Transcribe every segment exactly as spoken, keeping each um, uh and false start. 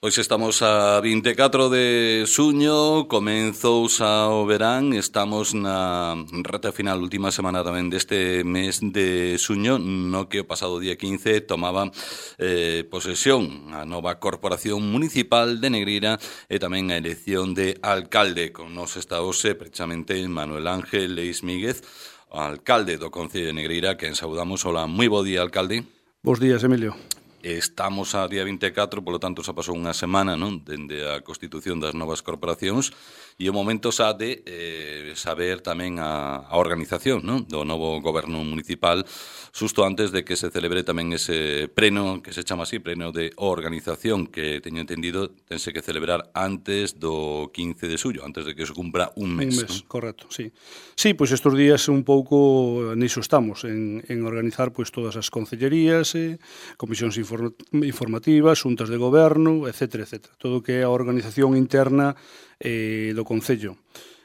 Hoxe estamos a vinte e catro de xuño, comenzous ao verán, estamos na reta final, última semana tamén deste mes de xuño, no que o pasado día quince tomaba eh, posesión a nova Corporación Municipal de Negreira e tamén a elección de alcalde. Con nos está hoxe precisamente Manuel Ángel Leis Míguez, alcalde do Concello de Negreira, quen saudamos. Hola, moi bo día, alcalde. Bos días, Emilio. Estamos a día vinte e catro, polo tanto xa pasou unha semana, non, dende a constitución das novas corporacións, e o momento xa de eh, saber tamén a, a organización, non, do novo goberno municipal, xusto antes de que se celebre tamén ese pleno, que se chama así, pleno de organización, que teño entendido tense que celebrar antes do quince de xullo, antes de que se cumpra un mes. Un mes, ¿no? correcto, sí. Sí, pois estes días un pouco niso estamos, en, en organizar pois todas as concellerías, eh, comisións inform, informativas, xuntas de goberno, etcétera, etcétera. Todo o que é a organización interna eh, do Concello.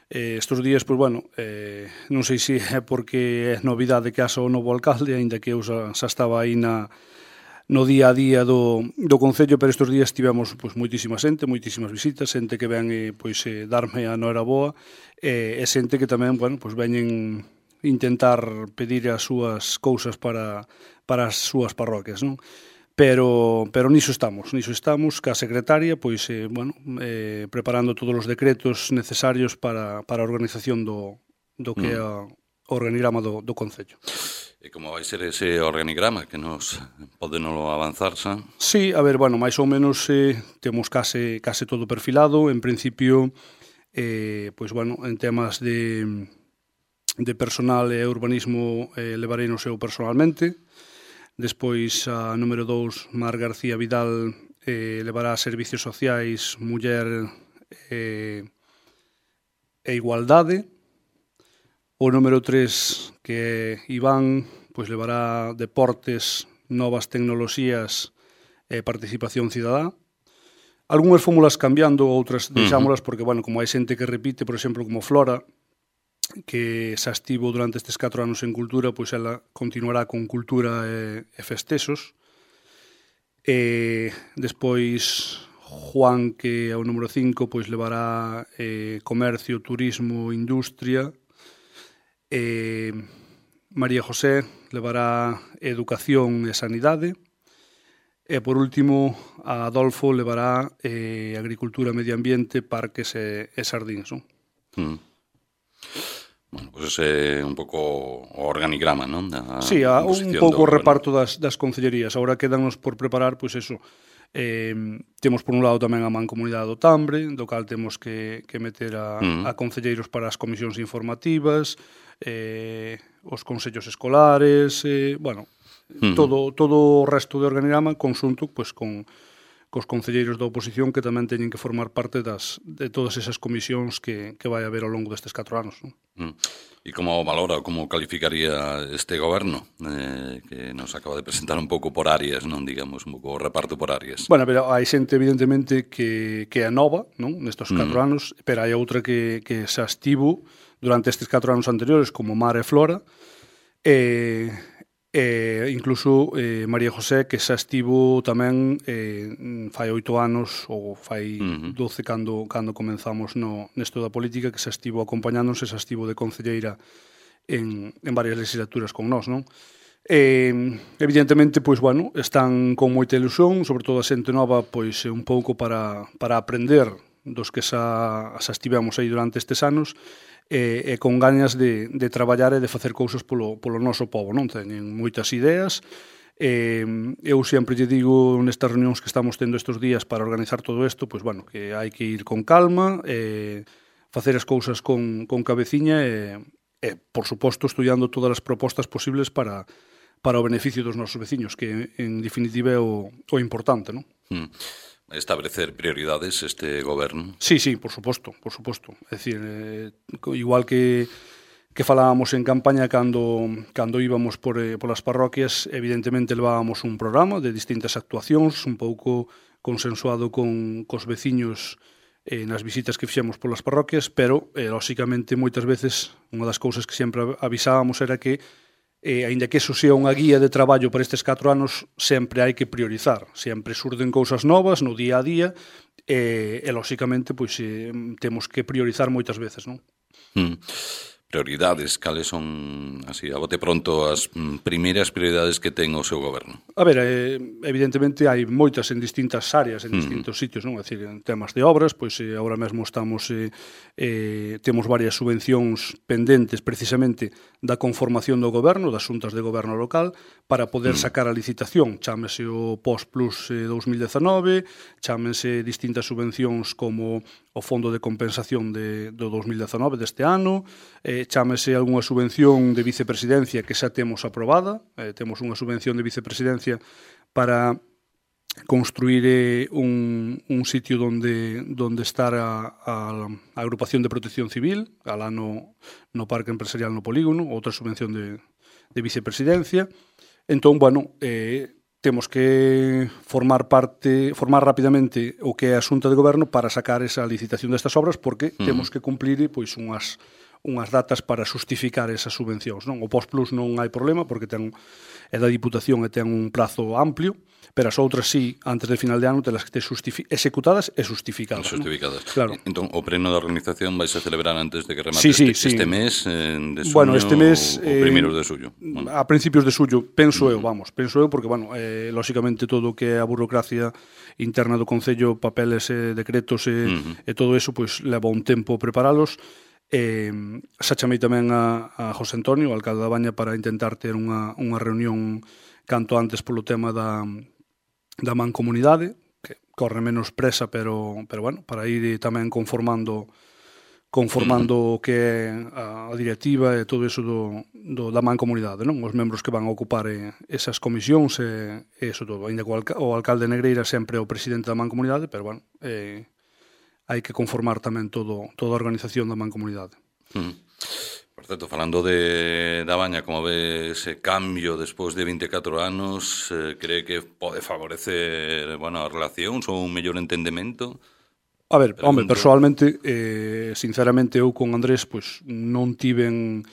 Eh, estes días, pois, bueno, eh, non sei se é porque é novidade que haxa o novo alcalde, aínda que eu xa, xa estaba aí na, no día a día do, do Concello, pero estes días tivemos pois, moitísima xente, moitísimas visitas, xente que ven eh, pois, eh, darme a noraboa, eh, e xente que tamén, bueno, pois, veñen intentar pedir as súas cousas para, para as súas parroquias, non? Pero, pero niso estamos, niso estamos, ca secretaria, pois, eh, bueno, eh, preparando todos os decretos necesarios para, para a organización do, do que é o organigrama do, do Concello. E como vai ser ese organigrama, que nos pode non avanzar, xa? Sí, a ver, bueno, máis ou menos eh, temos case, case todo perfilado. En principio, eh, pois, bueno, en temas de, de personal e urbanismo eh, levarei no seu personalmente. Despois, a número dous, Mar García Vidal, eh, levará Servicios Sociais, Muller eh, e Igualdade. O número tres, que é Iván, pois levará Deportes, Novas Tecnoloxías e Participación Cidadá. Algúnas fórmulas cambiando, outras deixámolas, porque, bueno, como hai xente que repite, por exemplo, como Flora, que xa estivo durante estes catro anos en Cultura, pois ela continuará con Cultura e, e Festexos. E despois Juan, que é o número cinco, pois levará eh, Comercio, Turismo, Industria. E María José levará Educación e Sanidade. E, por último, a Adolfo levará eh, Agricultura, Medio Ambiente, Parques e, e Sardíns, non? Mm. Bueno, pois pues ese é un pouco o organigrama, non? Da sí, a, un pouco o reparto das, das concellerías. Agora quedanos por preparar, pois eso, eh, temos por un lado tamén a Mancomunidade do Tambre, do cal temos que, que meter a, mm. a concelleiros para as comisións informativas, eh, os consellos escolares, eh, bueno, mm. todo, todo o resto do organigrama conxunto pois, con cos concelleiros da oposición que tamén teñen que formar parte das, de todas esas comisións que, que vai haber ao longo destes catro anos. Non? Mm. E como valora, como calificaría este goberno, eh, que nos acaba de presentar un pouco por áreas, non digamos, un pouco o reparto por áreas? Bueno, pero hai xente evidentemente que, que é nova, non, nestes catro mm. anos, pero hai outra que, que xa estivo durante estes catro anos anteriores, como Mar e Flora, e... E incluso eh, María José, que xa estivo tamén eh, fai oito anos ou fai uh-huh. doce cando, cando comenzamos no, nesto da política, que xa estivo acompañándonos e xa estivo de concelleira en, en varias legislaturas con nós, non? E, evidentemente, pois, bueno, están con moita ilusión, sobre todo a xente nova, pois, un pouco para, para aprender dos que xa, xa estivemos aí durante estes anos, e, e con gañas de, de traballar e de facer cousas polo, polo noso povo, non? Teñen moitas ideas. E, eu sempre lle digo nestas reunións que estamos tendo estes días para organizar todo isto, pois, bueno, que hai que ir con calma, e facer as cousas con, con cabeciña e, e, por suposto, estudiando todas as propostas posibles para, para o beneficio dos nosos veciños, que, en definitiva, é o, o importante, non? Mm. Establecer prioridades este goberno? Sí, sí, por suposto, por suposto. É dicir, eh, igual que que falábamos en campaña cando cando íbamos por eh, polas parroquias, evidentemente levábamos un programa de distintas actuacións, un pouco consensuado con cos veciños eh, nas visitas que fixemos polas parroquias, pero, eh, lóxicamente, moitas veces, unha das cousas que sempre avisábamos era que e, aínda que eso sea unha guía de traballo para estes catro anos, sempre hai que priorizar. Sempre surden cousas novas no día a día e, e lóxicamente, pois, eh, temos que priorizar moitas veces, non? Mm. Prioridades, cales son, así, a bote pronto, as primeiras prioridades que ten o seu goberno? A ver, eh, evidentemente hai moitas en distintas áreas, en distintos sitios, non? É dicir, en temas de obras, pois eh, agora mesmo estamos eh, eh, temos varias subvencións pendentes precisamente da conformación do goberno, das xuntas de goberno local, para poder sacar a licitación. Chámese o Post Plus eh, dos mil dezanove, chámense distintas subvencións como o Fondo de Compensación de, do dos mil dezanove deste ano, eh, chámese algunha subvención de vicepresidencia que xa temos aprobada, eh, temos unha subvención de vicepresidencia para construir eh, un, un sitio donde, donde estar a, a, a agrupación de protección civil, alá no, no Parque Empresarial no Polígono, outra subvención de, de vicepresidencia. Entón, bueno, eh, temos que formar parte, formar rapidamente o que é a Xunta de Goberno para sacar esa licitación destas obras, porque uh-huh. temos que cumplir pois unhas unhas datas para xustificar esas subvencións, non? O Post Plus non hai problema porque ten é da Diputación e ten un prazo amplio, pero as outras sí, antes del final de ano, telas que ter executadas e justificadas. Justificadas. ¿No? Claro. Entón, o pleno da organización vai se celebrar antes de que remate sí, sí, este, sí. este mes eh, de suño, bueno, este mes, o, o primeiros de suyo. Bueno. A principios de suyo, penso uh-huh. eu, vamos, penso eu, porque, bueno, eh, lóxicamente todo o que é a burocracia interna do Concello, papeles, eh, decretos e, uh-huh. e todo eso, pois leva un tempo preparalos. Eh, xa chamei tamén a, a José Antonio, o alcalde da Baña, para intentar ter unha, unha reunión canto antes polo tema da, da mancomunidade, que corre menos presa, pero, pero bueno, para ir tamén conformando conformando o que é a, a directiva e todo eso do, do, da mancomunidade, non? Os membros que van a ocupar eh, esas comisións e, e eso todo. Ainda que o, alca, o alcalde Negreira sempre é o presidente da mancomunidade, pero bueno, eh, hai que conformar tamén todo, toda a organización da mancomunidade. Mm. Por certo, falando de da Baña, como ve ese cambio despois de vinte e catro anos, eh, cree que pode favorecer, bueno, as relacións ou un mellor entendemento? A ver, Pregunto. Home, persoalmente, eh, sinceramente, eu con Andrés, pois, non tiven,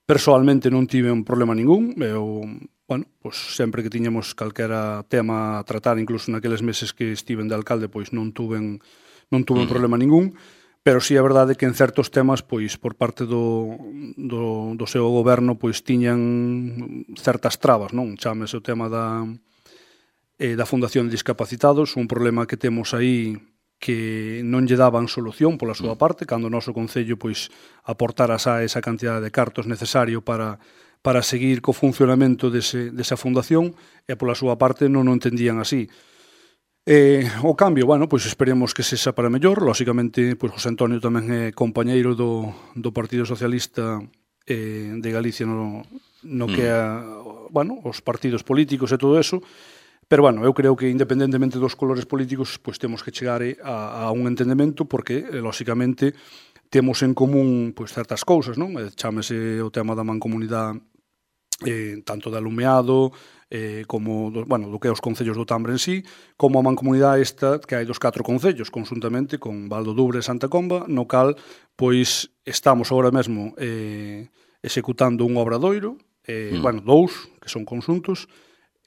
persoalmente non tiven problema ningún. Eu, bueno, pois, sempre que tiñamos calquera tema a tratar, incluso naqueles meses que estiven de alcalde, pois, non tuven non tuve uh-huh. problema ningún, pero sí é verdade que en certos temas, pois, por parte do, do, do seu goberno, pois, tiñan certas trabas, non? Chámese o tema da, eh, da Fundación de Discapacitados, un problema que temos aí que non lle daban solución pola súa parte, cando o noso Concello, pois, aportara xa esa cantidad de cartos necesario para, para seguir co funcionamento dese, desa fundación, e pola súa parte non o entendían así. Eh, o cambio, bueno, pois esperemos que sexa para mellor. Lóxicamente, pois José Antonio tamén é compañeiro do, do Partido Socialista eh, de Galicia no, no que é, bueno, os partidos políticos e todo eso, pero, bueno, eu creo que independentemente dos colores políticos, pois temos que chegar a, a un entendemento porque, eh, lóxicamente, temos en común pois certas cousas, non? Chámese o tema da mancomunidade, eh, tanto de alumeado, eh, como do, bueno, do que é os concellos do Tambre en sí, como a mancomunidade esta que hai dos catro concellos, conjuntamente con Val do Dubre e Santa Comba, no cal pois estamos agora mesmo eh, executando un obradoiro, eh, mm. bueno, dous, que son conxuntos,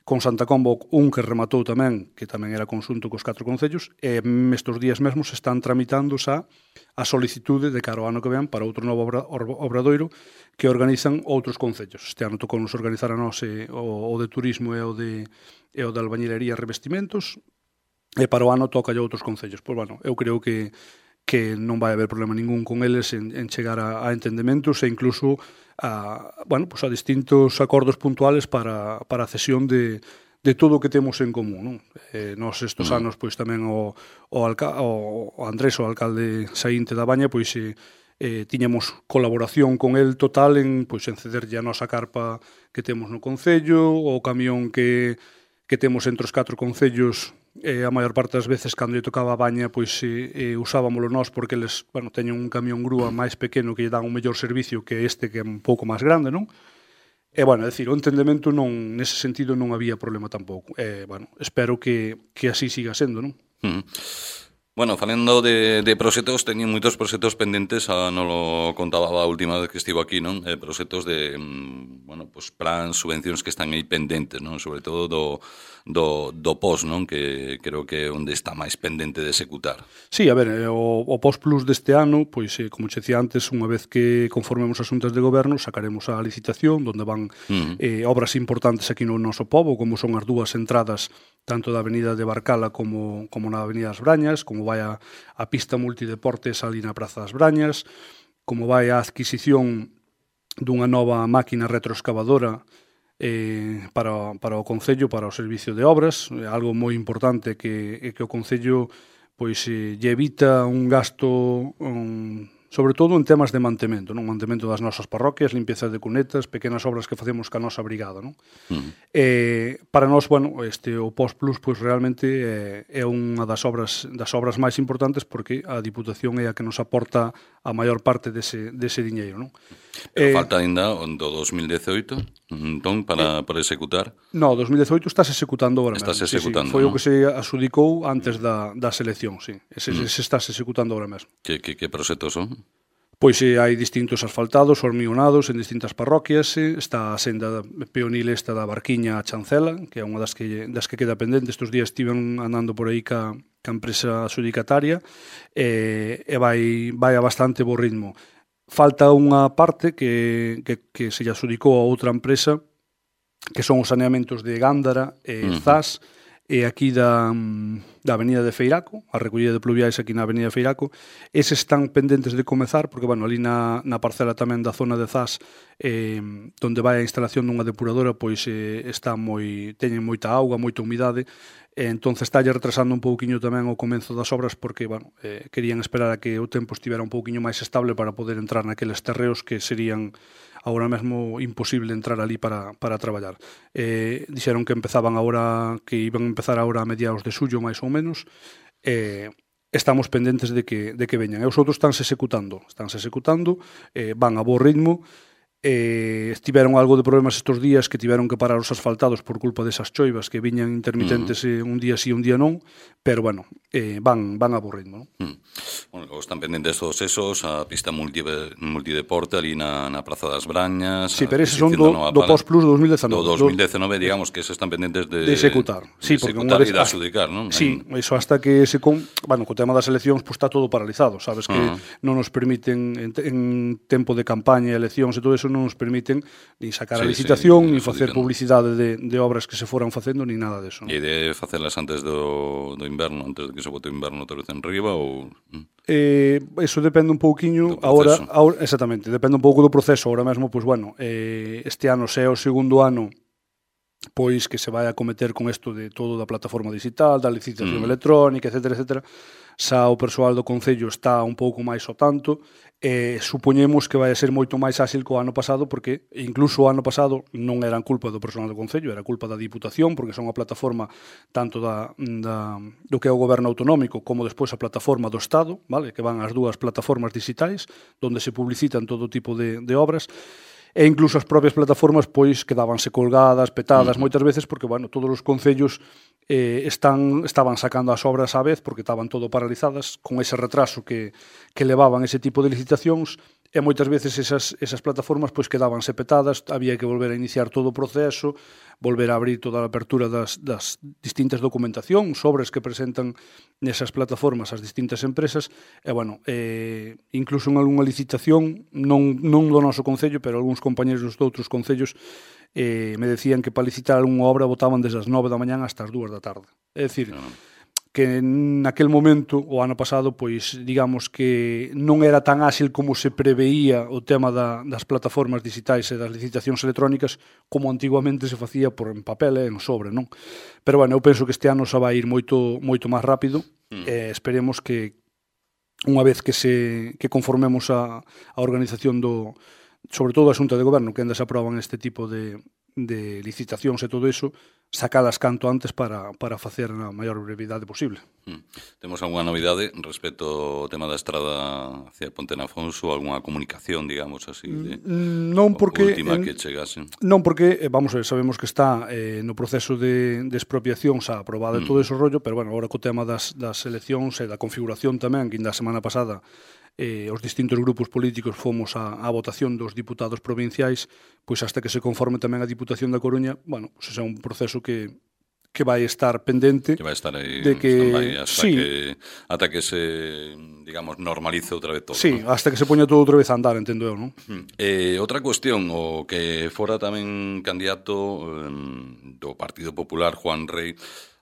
con Santa Comba un que rematou tamén, que tamén era conxunto cos catro concellos, e estes días mesmos están tramitando xa a solicitude de cara ao ano que ven para outro novo obra, obradoiro que organizan outros concellos. Este ano tocou nos organizar a nós eh, o, o de turismo e o de, e o de albañilería e revestimentos, e para o ano toca a outros concellos. Pois, bueno, eu creo que que non vai haber problema ningún con eles en, en chegar a, a entendementos e incluso a, bueno, pues a distintos acordos puntuales para, para a cesión de, de todo o que temos en común, non? Eh, nos estes uh-huh. anos, pois tamén o, o, alca, o, o Andrés, o alcalde saínte da Baña, pois eh, eh, tiñamos colaboración con el total en, pois, en cederlle a nosa carpa que temos no Concello, o camión que, que temos entre os catro concellos. Eh, a maior parte das veces cando lle tocaba a Baña pois eh, eh, usábamolo nós porque eles, bueno, teñen un camión grúa máis pequeno que lle dan un mellor servicio que este que é un pouco máis grande, non? E, bueno, é dicir, o entendemento non, nese sentido non había problema tampouco. E, bueno, espero que, que así siga sendo, non? Uh-huh. Bueno, falando de, de proxectos, teñen moitos proxectos pendentes, a non lo contaba a última vez que estivo aquí, non? Eh, proxectos de, bueno, pues plans, subvencións que están aí pendentes, non? Sobre todo do, do, do P O S, non? Que creo que é onde está máis pendente de executar. Sí, a ver, o, o P O S Plus deste ano, pois, eh, como che decía antes, unha vez que conformemos as xuntas de goberno, sacaremos a licitación, donde van uh -huh. eh, obras importantes aquí no noso pobo, como son as dúas entradas tanto da avenida de Barcala como, como na avenida das Brañas, como vai a, a pista multideportes ali na Praza das Brañas, como vai a adquisición dunha nova máquina retroexcavadora eh, para, para o Concello, para o Servicio de Obras, algo moi importante que, que o Concello pois, eh, lle evita un gasto... Un, sobre todo en temas de mantemento, non? Mantemento das nosas parroquias, limpieza de cunetas, pequenas obras que facemos ca nosa brigada, non? Uh-huh. eh, para nós, bueno, este o P O S Plus pois realmente é, é unha das obras das obras máis importantes porque a Diputación é a que nos aporta a maior parte dese, dese diñeiro, non? Pero eh, falta ainda o do dos mil dezoito, entón, para, eh, para executar? No, dos mil dezoito estás executando agora mesmo. Estás executando, sí, sí. Foi ¿no? o que se asudicou antes da, da selección, sí. Ese, mm. ese estás executando agora mesmo. Que, que, que proxectos son? Pois eh, hai distintos asfaltados, hormionados en distintas parroquias, eh, está a senda peonil esta da Barquiña a Chancela, que é unha das que, das que queda pendente. Estes días estiven andando por aí ca, ca empresa adjudicataria eh, e vai, vai a bastante bo ritmo. Falta unha parte que, que, que se lle adjudicou a outra empresa, que son os saneamentos de Gándara e uh -huh. Zas, e aquí da, da avenida de Feiraco, a recollida de pluviais aquí na avenida de Feiraco. Eses están pendentes de comezar, porque, bueno, ali na, na parcela tamén da zona de Zas, eh, donde vai a instalación dunha depuradora, pois eh, está moi, teñen moita auga, moita humidade, e entón estalle retrasando un pouquiño tamén o comenzo das obras, porque, bueno, eh, querían esperar a que o tempo estivera un pouquiño máis estable para poder entrar naqueles terreos que serían agora mesmo imposible entrar ali para, para traballar. Eh, dixeron que empezaban agora, que iban a empezar agora a mediados de xullo, máis ou menos, e eh, estamos pendentes de que, de que veñan. E os outros estánse executando, estánse executando, eh, van a bo ritmo, eh, tiveron algo de problemas estes días que tiveron que parar os asfaltados por culpa desas choivas que viñan intermitentes uh -huh. un día sí, un día non, pero bueno, eh, van, van a bo ritmo, non? Uh -huh. Bueno, están pendentes todos esos, a pista multi, multideporte ali na, na Praza das Brañas. Sí, pero eses son do, do P O S Plus do dos mil dezenove. Do dos mil dezenove, digamos que eses están pendentes de, de executar. Sí, de executar e de adjudicar, non? Sí, iso hasta que se con, bueno, co tema das eleccións pues, está todo paralizado, sabes que uh -huh. non nos permiten en, en tempo de campaña, eleccións e todo eso non nos permiten ni sacar sí, a licitación, sí, ni facer publicidade de, de obras que se foran facendo, ni nada deso. E de facelas antes do, do inverno, antes de que se bote o inverno outra vez en riba, ou... Eh, eso depende un pouquiño, agora, agora, exactamente, depende un pouco do proceso, agora mesmo, pois, bueno, eh, este ano se é o segundo ano pois que se vai a cometer con isto de todo da plataforma digital, da licitación mm. electrónica, etcétera, etcétera. Xa o persoal do Concello está un pouco máis ao tanto, e supoñemos que vai a ser moito máis áxil co ano pasado, porque incluso o ano pasado non eran culpa do persoal do Concello, era culpa da Diputación, porque son a plataforma tanto da, da, do que é o goberno autonómico como despois a plataforma do Estado, vale, que van as dúas plataformas digitais, onde se publicitan todo tipo de, de obras, e incluso as propias plataformas pois quedábanse colgadas, petadas, uh -huh. moitas veces porque, bueno, todos os concellos eh, están, estaban sacando as obras á vez porque estaban todo paralizadas con ese retraso que, que levaban ese tipo de licitacións, e moitas veces esas, esas plataformas pois quedábanse petadas, había que volver a iniciar todo o proceso, volver a abrir toda a apertura das, das distintas documentacións, sobres que presentan nesas plataformas as distintas empresas, e, bueno, eh, incluso en algunha licitación, non, non do noso concello, pero algúns compañeros dos outros concellos eh, me decían que para licitar algunha obra votaban desde as nove da mañán hasta as dúas da tarde. É dicir, no. que naquel momento, o ano pasado, pois digamos que non era tan áxil como se preveía o tema da, das plataformas digitais e das licitacións electrónicas como antiguamente se facía por en papel e en sobre, non? Pero, bueno, eu penso que este ano xa vai ir moito moito máis rápido mm. e esperemos que unha vez que se que conformemos a, a organización do, sobre todo a Xunta de Goberno, que ainda se aproban este tipo de, de licitacións e todo iso, sacalas canto antes para, para facer na maior brevidade posible. Mm. Temos algunha novidade respecto ao tema da estrada hacia Ponte Nafonso, algunha comunicación, digamos así, de non porque última que chegase? Non porque, vamos a ver, sabemos que está eh, no proceso de, de expropiación xa aprobado mm. todo ese rollo, pero bueno, agora co tema das, das eleccións e da configuración tamén, que ainda a semana pasada eh, os distintos grupos políticos fomos á, á votación dos diputados provinciais, pois hasta que se conforme tamén a Diputación da Coruña, bueno, pois é un proceso que que vai estar pendente, que vai estar aí de que hasta sí, que ata que se, digamos, normalice outra vez todo. Sí, ¿no? hasta que se poña todo outra vez a andar, entendo eu, non? Eh, outra cuestión, o que fora tamén candidato um, do Partido Popular, Juan Rey,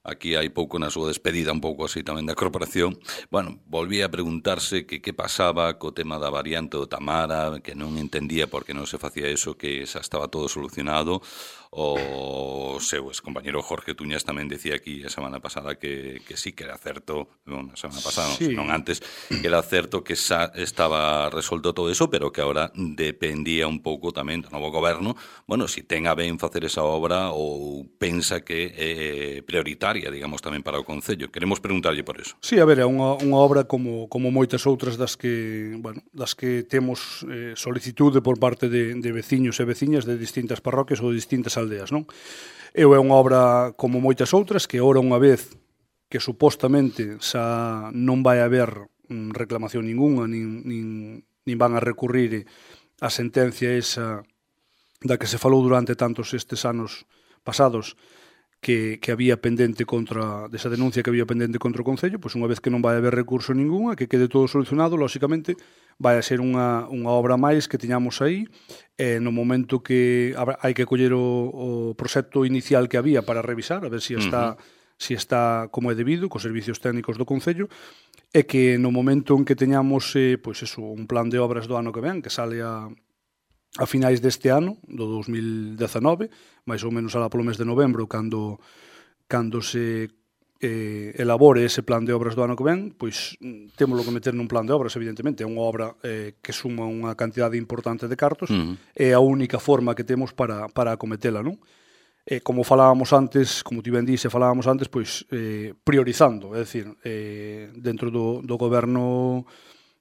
aquí hai pouco na súa despedida, un pouco así tamén da corporación, bueno, volvía a preguntarse que que pasaba co tema da variante do Tamara, que non entendía por que non se facía eso, que xa estaba todo solucionado. O seu excompañero Jorge Tuñas tamén decía aquí a semana pasada que, que sí, que era certo, non, a semana pasada, sí. non antes, que era certo que xa estaba resolto todo eso, pero que agora dependía un pouco tamén do novo goberno, bueno, si ten a ben facer esa obra ou pensa que é prioritaria, digamos, tamén para o Concello. Queremos preguntarlle por eso. Sí, a ver, é unha, unha obra como, como moitas outras das que, bueno, das que temos eh, solicitude por parte de, de veciños e veciñas de distintas parroquias ou de distintas aldeas, non? Eu é unha obra como moitas outras que ora unha vez que supostamente xa non vai haber mm, reclamación ninguna, nin, nin, nin van a recurrir a sentencia esa da que se falou durante tantos estes anos pasados que, que había pendente contra desa denuncia que había pendente contra o Concello, pois unha vez que non vai haber recurso ninguna, que quede todo solucionado, lóxicamente vai a ser unha, unha obra máis que tiñamos aí, e no momento que hai que coller o, o proxecto inicial que había para revisar, a ver se si está, uh-huh. si está como é debido, cos servicios técnicos do Concello, e que no momento en que teñamos eh, pois eso, un plan de obras do ano que ven, que sale a a finais deste ano, do dos mil dezanove, máis ou menos alá polo mes de novembro, cando, cando se eh, elabore ese plan de obras do ano que ven, pois témolo que meter nun plan de obras, evidentemente. É unha obra eh, que suma unha cantidade importante de cartos, uh-huh. é a única forma que temos para, para acometela, non? E como falábamos antes, como ti ben dixe, falábamos antes, pois eh, priorizando, é dicir, eh, dentro do, do goberno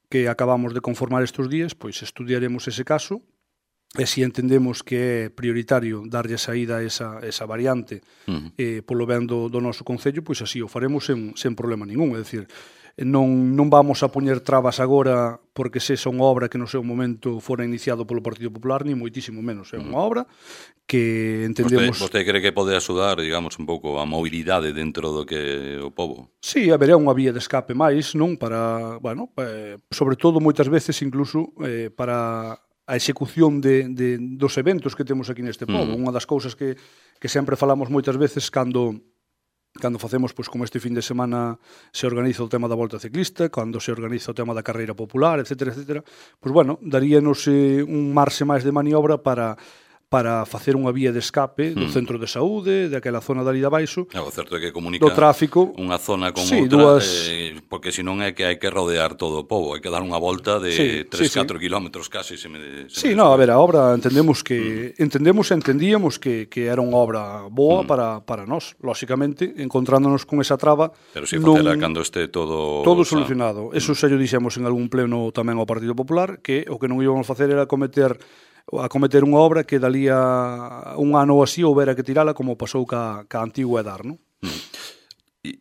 que acabamos de conformar estes días, pois estudiaremos ese caso, e se entendemos que é prioritario darlle saída a esa, esa variante uh-huh. eh, polo ben do, do noso Concello, pois así o faremos sen, sen problema ningún. É dicir, non, non vamos a poñer trabas agora porque se son obra que no seu momento fora iniciado polo Partido Popular, ni moitísimo menos. É unha obra que entendemos... Vostede, vostede cree que pode axudar, digamos, un pouco a mobilidade dentro do que o pobo? Sí, haberá unha vía de escape máis, non? Para, bueno, eh, sobre todo moitas veces incluso eh, para a execución de, de, dos eventos que temos aquí neste pobo. Mm. Unha das cousas que, que sempre falamos moitas veces cando cando facemos, pois, como este fin de semana se organiza o tema da Volta Ciclista, cando se organiza o tema da Carreira Popular, etcétera, etcétera, pois, bueno, daríanos eh, un marxe máis de maniobra para para facer unha vía de escape do hmm. centro de saúde, daquela zona dali de abaixo, o certo é que comunica do tráfico, unha zona con sí, outra, dúas... eh, porque senón é que hai que rodear todo o pobo, hai que dar unha volta de sí, tres a catro sí, kilómetros casi. Se me, se sí, me no, a ver, a obra entendemos que hmm. entendemos e entendíamos que, que era unha obra boa hmm. para, para nós, lóxicamente, encontrándonos con esa traba. Pero si facela cando este todo... Todo solucionado. Eso xa lle dixemos en algún pleno tamén ao Partido Popular, que o que non íbamos facer era cometer a cometer unha obra que dalía un ano ou así houbera que tirala como pasou ca, ca antigua Edar, non? Mm.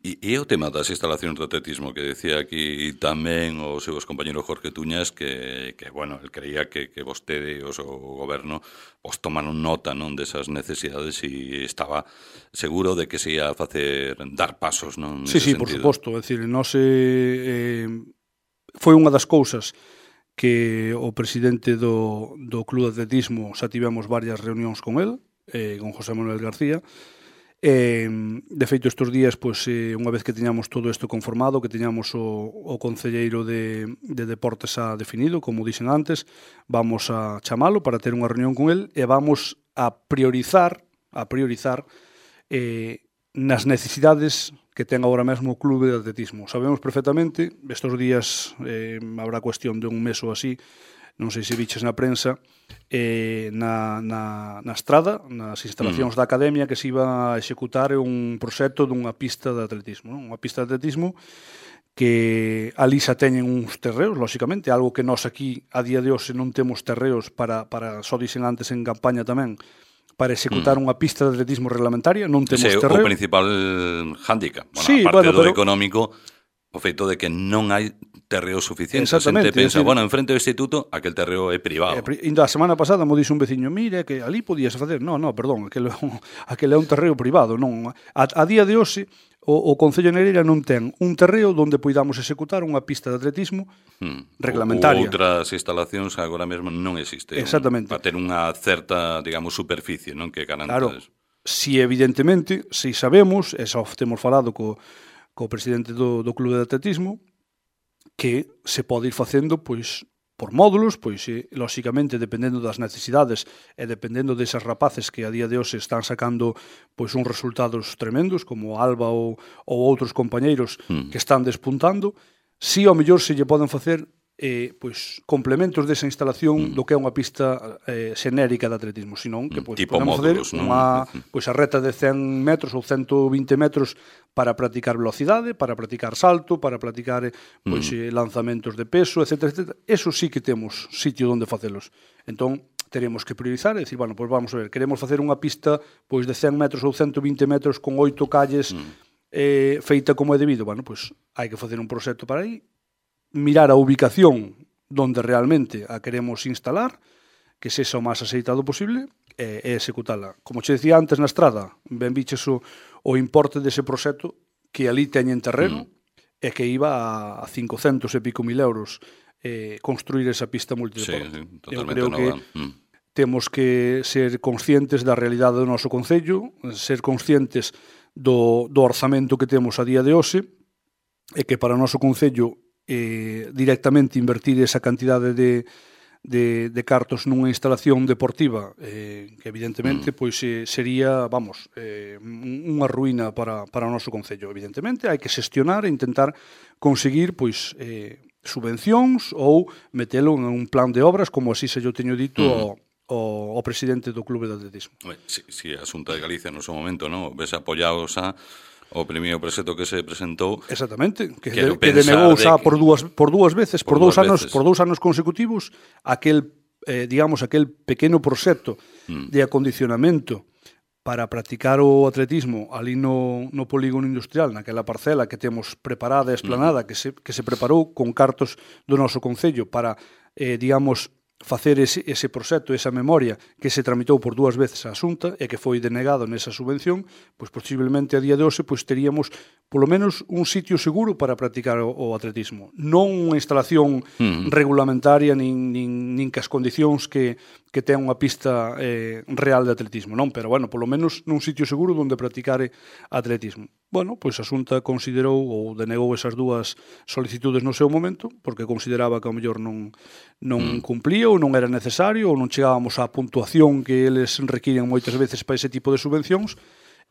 E, e o tema das instalacións de atletismo que decía aquí tamén o seu compañeiro Jorge Tuñas que, que bueno, el creía que, que vostede e o seu goberno os tomaron nota, non, desas necesidades e estaba seguro de que se ia a facer dar pasos, non? Sí, sí, sentido. Por suposto, é dicir, non se eh, foi unha das cousas que o presidente do, do Club de Atletismo xa tivemos varias reunións con el, eh, con José Manuel García. Eh, de feito, estes días, pois, eh, unha vez que teñamos todo isto conformado, que teñamos o, o concelleiro de, de deportes xa definido, como dixen antes, vamos a chamalo para ter unha reunión con el e vamos a priorizar, a priorizar eh, nas necesidades que ten agora mesmo o clube de atletismo. Sabemos perfectamente, estes días eh, habrá cuestión de un mes ou así, non sei se viches na prensa, eh, na, na, na estrada, nas instalacións mm. da Academia, que se iba a executar un proxecto dunha pista de atletismo, non? Unha pista de atletismo que ali xa teñen uns terreos, lóxicamente, algo que nós aquí a día de hoxe non temos terreos para, para só dixen antes en campaña tamén, para executar mm. unha pista de atletismo reglamentaria, non temos Ese terreo. O principal hándicap, bueno, sí, aparte bueno, do pero... económico, o feito de que non hai terreo suficiente. Exactamente. A xente pensa, decir, bueno, enfrente do instituto, aquel terreo é privado. Eh, ainda a semana pasada mo dixo un veciño, mire, que ali podías facer. No, no, perdón, aquel, aquel é un terreo privado. Non. A, a día de hoxe, o, o Concello de Negreira non ten un terreo onde poidamos executar unha pista de atletismo hmm. reglamentaria. Ou outras instalacións agora mesmo non existe. Exactamente. Para ter unha certa, digamos, superficie, non, que garanta claro, eso. Si evidentemente, si sabemos, e xa temos falado co, co presidente do, do Clube de Atletismo, que se pode ir facendo, pois, por módulos, pois, e, lóxicamente, dependendo das necesidades e dependendo desas rapaces que a día de hoxe están sacando, pois, uns resultados tremendos, como Alba ou, ou outros compañeiros mm. que están despuntando, si ao mellor se lle poden facer eh, pois, complementos desa instalación mm. do que é unha pista eh, xenérica de atletismo, senón que pois, tipo podemos módulos, fazer unha, pois, a reta de cen metros ou ciento vinte metros para practicar velocidade, para practicar salto, para practicar pois, mm. lanzamentos de peso, etcétera, etcétera. Eso sí que temos sitio onde facelos. Entón, teremos que priorizar e dicir, bueno, pois vamos a ver, queremos facer unha pista pois de cen metros ou ciento vinte metros con oito calles mm. eh, feita como é debido. Bueno, pois hai que facer un proxecto para aí, mirar a ubicación donde realmente a queremos instalar, que sexa o máis aceitado posible, e, e executala. Como che decía antes na estrada, ben biches o, o importe dese proxecto que ali teñen terreno mm. e que iba a cincocentos e pico mil euros eh, construir esa pista multideporte. Sí, sí, Eu totalmente creo nova. que mm. temos que ser conscientes da realidade do noso concello, ser conscientes do, do orzamento que temos a día de hoxe, e que para o noso concello eh, directamente invertir esa cantidade de, de, de cartos nunha instalación deportiva eh, que evidentemente mm. pois eh, sería, vamos, eh, unha ruína para, para o noso concello. Evidentemente hai que xestionar e intentar conseguir pois eh, subvencións ou metelo en un plan de obras, como así se yo teño dito mm. ao, ao, ao presidente do Clube de Atletismo. Si, si a Xunta de Galicia no seu momento, no, ves apoiados a o primeiro proxecto que se presentou. Exactamente, que, de, que denegou xa de que... por dúas por dúas veces, por, por dous anos, veces. por dous anos consecutivos, aquel eh, digamos aquel pequeno proxecto mm. de acondicionamento para practicar o atletismo ali no, no polígono industrial, naquela parcela que temos preparada e esplanada, mm. que se que se preparou con cartos do noso concello para eh, digamos facer ese, ese proxecto, esa memoria que se tramitou por dúas veces á Xunta e que foi denegado nesa subvención, pois posiblemente a día de hoxe pois teríamos polo menos un sitio seguro para practicar o, o atletismo. Non unha instalación mm. regulamentaria nin, nin, nin que as condicións que, que ten unha pista eh, real de atletismo, non? Pero, bueno, polo menos nun sitio seguro onde practicare atletismo. Bueno, pois a Xunta considerou ou denegou esas dúas solicitudes no seu momento, porque consideraba que ao mellor non, non mm. cumplía ou non era necesario ou non chegábamos á puntuación que eles requiren moitas veces para ese tipo de subvencións,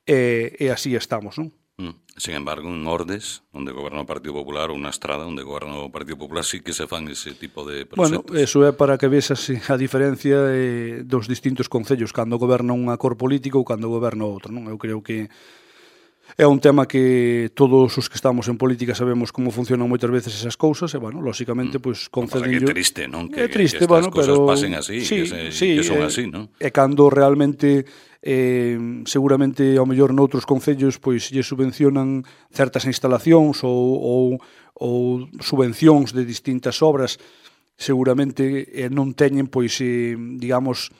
e, e así estamos, non? Mm. Sin embargo, en Ordes, onde goberna o Partido Popular, ou na Estrada, onde goberna o Partido Popular, sí que se fan ese tipo de proxectos. Bueno, eso é para que vexas a diferencia eh, dos distintos concellos, cando goberna unha cor política ou cando goberna outra, non? Eu creo que é un tema que todos os que estamos en política sabemos como funcionan moitas veces esas cousas e, bueno, lóxicamente, pois, concedinllo... É triste, non? Que, é triste, que estas bueno, cousas pero... pasen así, sí, que, se, sí, que son eh, así, non? E cando realmente, eh, seguramente, ao mellor noutros concellos, pois, lle subvencionan certas instalacións ou, ou, ou subvencións de distintas obras, seguramente eh, non teñen, pois, eh, digamos...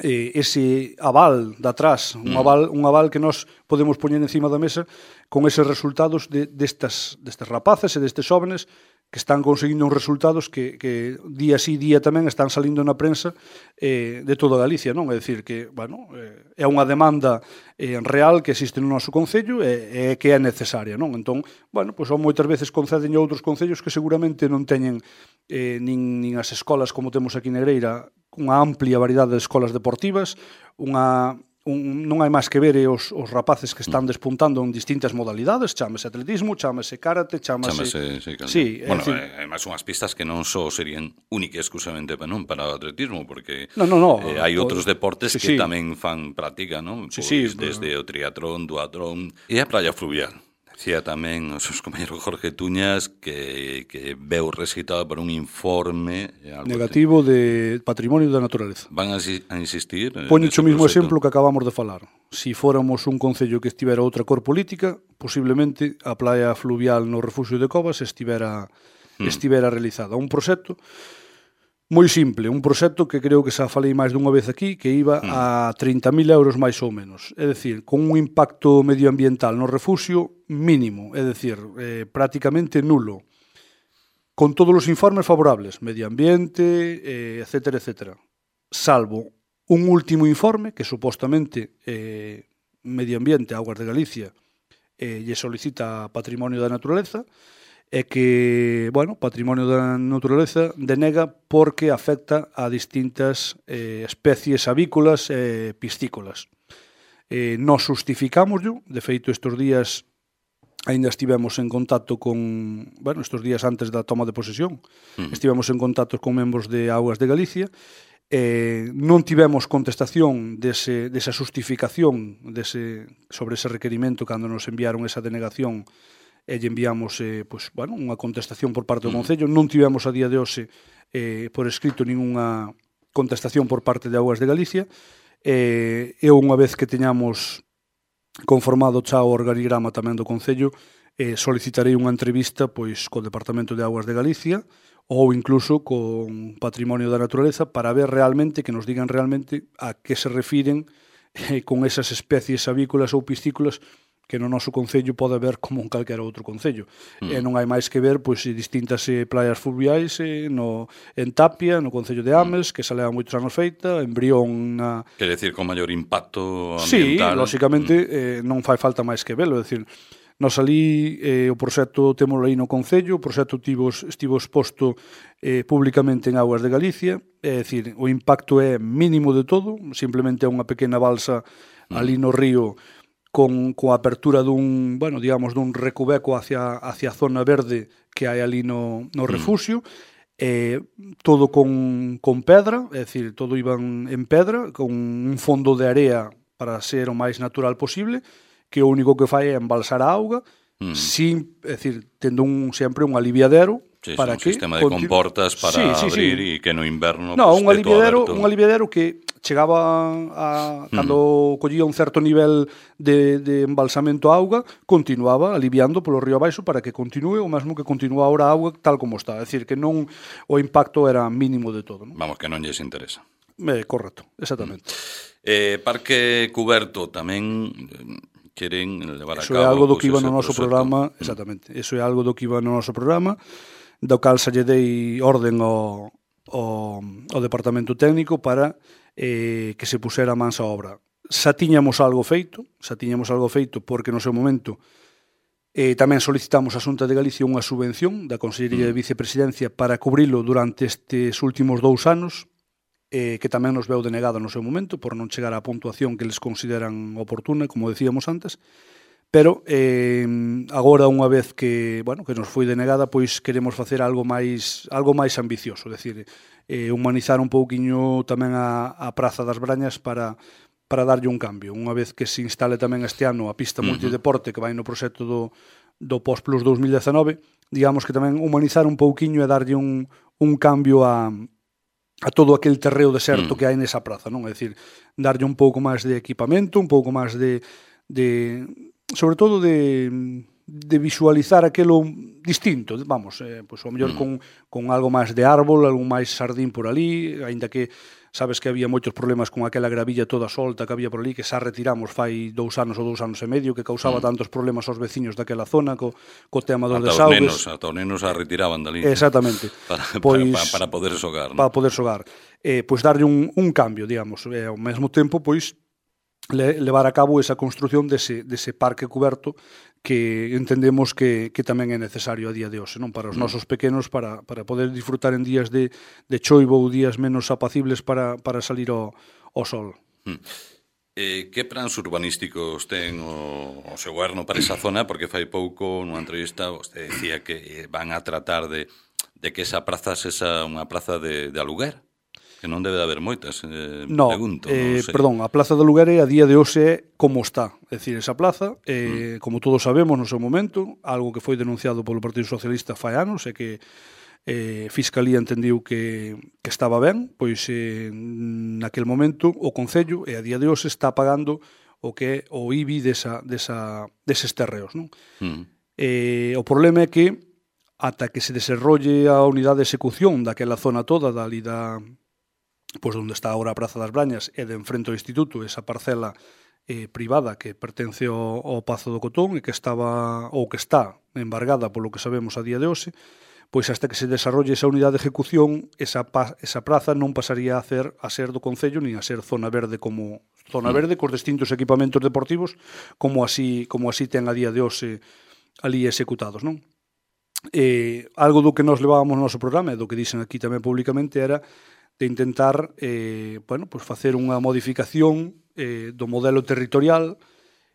Eh, ese aval de atrás, un aval, un aval que nós podemos poñer encima da mesa con eses resultados de, destas, destas rapaces e destes jóvenes que están conseguindo uns resultados que, que día sí, día tamén están salindo na prensa eh, de toda Galicia, non? É dicir que, bueno, eh, é unha demanda eh, real que existe no noso concello e, e que é necesaria, non? Entón, bueno, pois son moitas veces conceden a outros concellos que seguramente non teñen eh, nin, nin as escolas como temos aquí en Negreira, unha amplia variedade de escolas deportivas, unha un, non hai máis que ver os, os rapaces que están despuntando en distintas modalidades, chámase atletismo, chámase karate, chámase... Chámase, sí, claro. Sí, bueno, decir... eh, además unhas pistas que non só serían únicas exclusivamente para, non, para o atletismo, porque no, no, no, eh, hai outros deportes sí, que sí. tamén fan práctica, non? Sí, Pois, sí, desde o triatlón, duatlón e a praia fluvial. Decía tamén os seus compañeros Jorge Tuñas que, que veu recitado por un informe negativo de patrimonio da naturaleza. Van a, a insistir? Poño o mismo exemplo que acabamos de falar. Si fóramos un concello que estivera outra cor política, posiblemente a praia fluvial no Refugio de Covas estivera, hmm. estivera realizada. Un proxecto moi simple, un proxecto que creo que xa falei máis dunha vez aquí, que iba mm. a trinta mil euros máis ou menos. É dicir, con un impacto medioambiental no refugio mínimo, é dicir, eh, prácticamente nulo. Con todos os informes favorables, medio ambiente, eh, etcétera, etcétera. Salvo un último informe que supostamente eh, Medio Ambiente, Augas de Galicia, eh, lle solicita Patrimonio da Naturaleza, é que, bueno, Patrimonio da Naturaleza denega porque afecta a distintas eh, especies avícolas e eh, piscícolas. Eh, nos justificámoslo, de feito estes días ainda estivemos en contacto con, bueno, estes días antes da toma de posesión, uh-huh. estivemos en contacto con membros de Augas de Galicia, eh, non tivemos contestación dese, desa justificación dese, sobre ese requerimento cando nos enviaron esa denegación e lle enviamos eh, pues, bueno, unha contestación por parte do Concello. Non tivemos a día de hoxe eh, por escrito ninguna contestación por parte de Augas de Galicia. Eh, e unha vez que teñamos conformado xa o organigrama tamén do Concello, eh, solicitarei unha entrevista pois co Departamento de Augas de Galicia ou incluso con Patrimonio da Naturaleza para ver realmente, que nos digan realmente a que se refiren eh, con esas especies avícolas ou piscícolas que no noso concello pode haber como en calquera outro concello. Mm. E non hai máis que ver pois distintas eh, playas fluviais eh, no, en Tapia, no concello de Ames, mm. que se leva moitos anos feita, en Brión na... Quer decir, con maior impacto Sí, ambiental. lóxicamente, mm. eh, non fai falta máis que velo, é dicir, nos ali eh, o proxecto témolo aí no concello, o proxecto estivo, estivo exposto eh, públicamente en Augas de Galicia, é dicir, o impacto é mínimo de todo, simplemente é unha pequena balsa mm. ali no río con coa apertura dun, bueno, digamos, dun recubeco hacia hacia a zona verde que hai ali no no refugio, mm. eh, todo con con pedra, é dicir, todo iban en pedra, con un fondo de area para ser o máis natural posible, que o único que fai é embalsar a auga, mm. sin, é dicir, tendo un sempre un aliviadero. Sí, para un que sistema de continu... comportas para sí, sí, abrir e sí. que no inverno no, pues, un aliviadero, un aliviadero que chegaba a cando mm. collía un certo nivel de, de embalsamento a auga, continuaba aliviando polo río abaixo para que continúe o mesmo que continúa ahora a auga tal como está, é dicir, que non o impacto era mínimo de todo, non? Vamos, que non lles interesa. Eh, correcto, exactamente. Mm. Eh, parque cuberto tamén queren levar a eso cabo. Eso é algo do que iba no noso proxecto. programa, exactamente. Eso é algo do que iba no noso programa, do cal se lle dei orden ao, ao, ao departamento técnico para eh, que se pusera mans a obra. Xa tiñamos algo feito, xa tiñamos algo feito porque no seu momento eh, tamén solicitamos a Xunta de Galicia unha subvención da Consellería de Vicepresidencia para cubrilo durante estes últimos dous anos, eh, que tamén nos veu denegado no seu momento por non chegar á puntuación que les consideran oportuna, como decíamos antes. Pero eh, agora unha vez que, bueno, que nos foi denegada, pois queremos facer algo máis algo máis ambicioso, é dicir, eh, humanizar un pouquiño tamén a, a Praza das Brañas para para darlle un cambio. Unha vez que se instale tamén este ano a pista multideporte que vai no proxecto do do Post Plus dos mil dezenove, digamos que tamén humanizar un pouquiño e darlle un un cambio a a todo aquel terreo deserto mm. que hai nesa praza, non? É dicir, darlle un pouco máis de equipamento, un pouco máis de de sobre todo de, de visualizar aquelo distinto, vamos, eh, pois ao mellor mm. con, con algo máis de árbol, algo máis sardín por ali, aínda que sabes que había moitos problemas con aquela gravilla toda solta que había por ali, que xa retiramos fai dous anos ou dous anos e medio, que causaba mm. tantos problemas aos veciños daquela zona, co, co tema dos ata desaugues. Os nenos, ata os nenos a retiraban dali. Exactamente. para, pois, para, para poder xogar. Para poder xogar. Eh, pois darlle un, un cambio, digamos, e ao mesmo tempo, pois, le, levar a cabo esa construción dese, dese parque cuberto que entendemos que, que tamén é necesario a día de hoxe, non? Para os mm. nosos pequenos, para, para poder disfrutar en días de, de choivo ou días menos apacibles para, para salir ao, ao sol. Mm. Eh, que plans urbanísticos ten o, o seu goberno para esa zona? Porque fai pouco, nunha entrevista, vostede decía que van a tratar de, de que esa praza sexa unha praza de, de aluguer, que non debe de haber moitas, eh, no, pregunto. Eh, non sei. perdón, a Plaza de Aluguere a día de hoxe é como está. É dicir, esa plaza, eh, mm. como todos sabemos no seu momento, algo que foi denunciado polo Partido Socialista fai anos, é que eh, Fiscalía entendiu que, que estaba ben, pois eh, naquel momento o Concello, e a día de hoxe, está pagando o que é o I B I desa, desa, deses terreos. Non? Mm. Eh, o problema é que ata que se desarrolle a unidade de execución daquela zona toda, dali da, pois onde está agora a Praza das Brañas e de enfrente ao Instituto, esa parcela eh, privada que pertence ao, ao Pazo do Cotón e que estaba ou que está embargada polo que sabemos a día de hoxe, pois hasta que se desarrolle esa unidade de ejecución, esa, pa, esa praza non pasaría a, hacer, a ser do Concello nin a ser zona verde como zona verde cos distintos equipamentos deportivos como así como así ten a día de hoxe ali executados, non? Eh, algo do que nos levábamos no noso programa e do que dixen aquí tamén públicamente era de intentar eh, bueno, pues facer unha modificación eh, do modelo territorial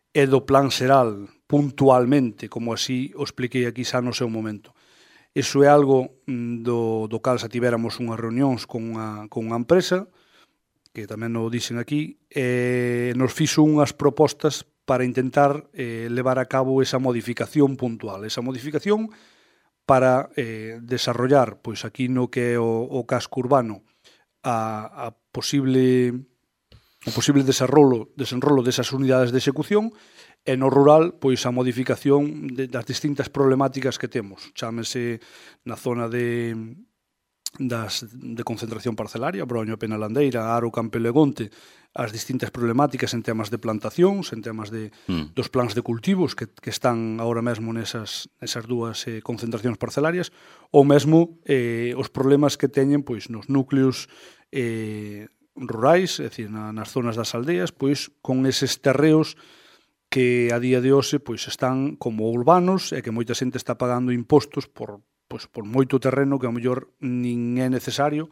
e do plan xeral puntualmente, como así o expliquei aquí xa no seu momento. Iso é algo do, do cal xa tivéramos unhas reunións con unha, con unha empresa, que tamén o dixen aquí, e nos fixo unhas propostas para intentar eh, levar a cabo esa modificación puntual. Esa modificación para eh, desarrollar, pois aquí no que é o, o casco urbano, a, a posible o posible desenrolo, desenrolo desas unidades de execución, e no rural, pois a modificación de, das distintas problemáticas que temos. Chámese na zona de das de concentración parcelaria, Broño, Penalandeira, Aro, Campelegonte, as distintas problemáticas en temas de plantacións, en temas de mm. dos plans de cultivos que, que están agora mesmo nesas, nesas dúas eh, concentracións parcelarias, ou mesmo eh, os problemas que teñen pois nos núcleos eh, rurais, é dicir, na, nas zonas das aldeas, pois con eses terreos que a día de hoxe pois están como urbanos e que moita xente está pagando impostos por, pois, por moito terreno que ao mellor nin é necesario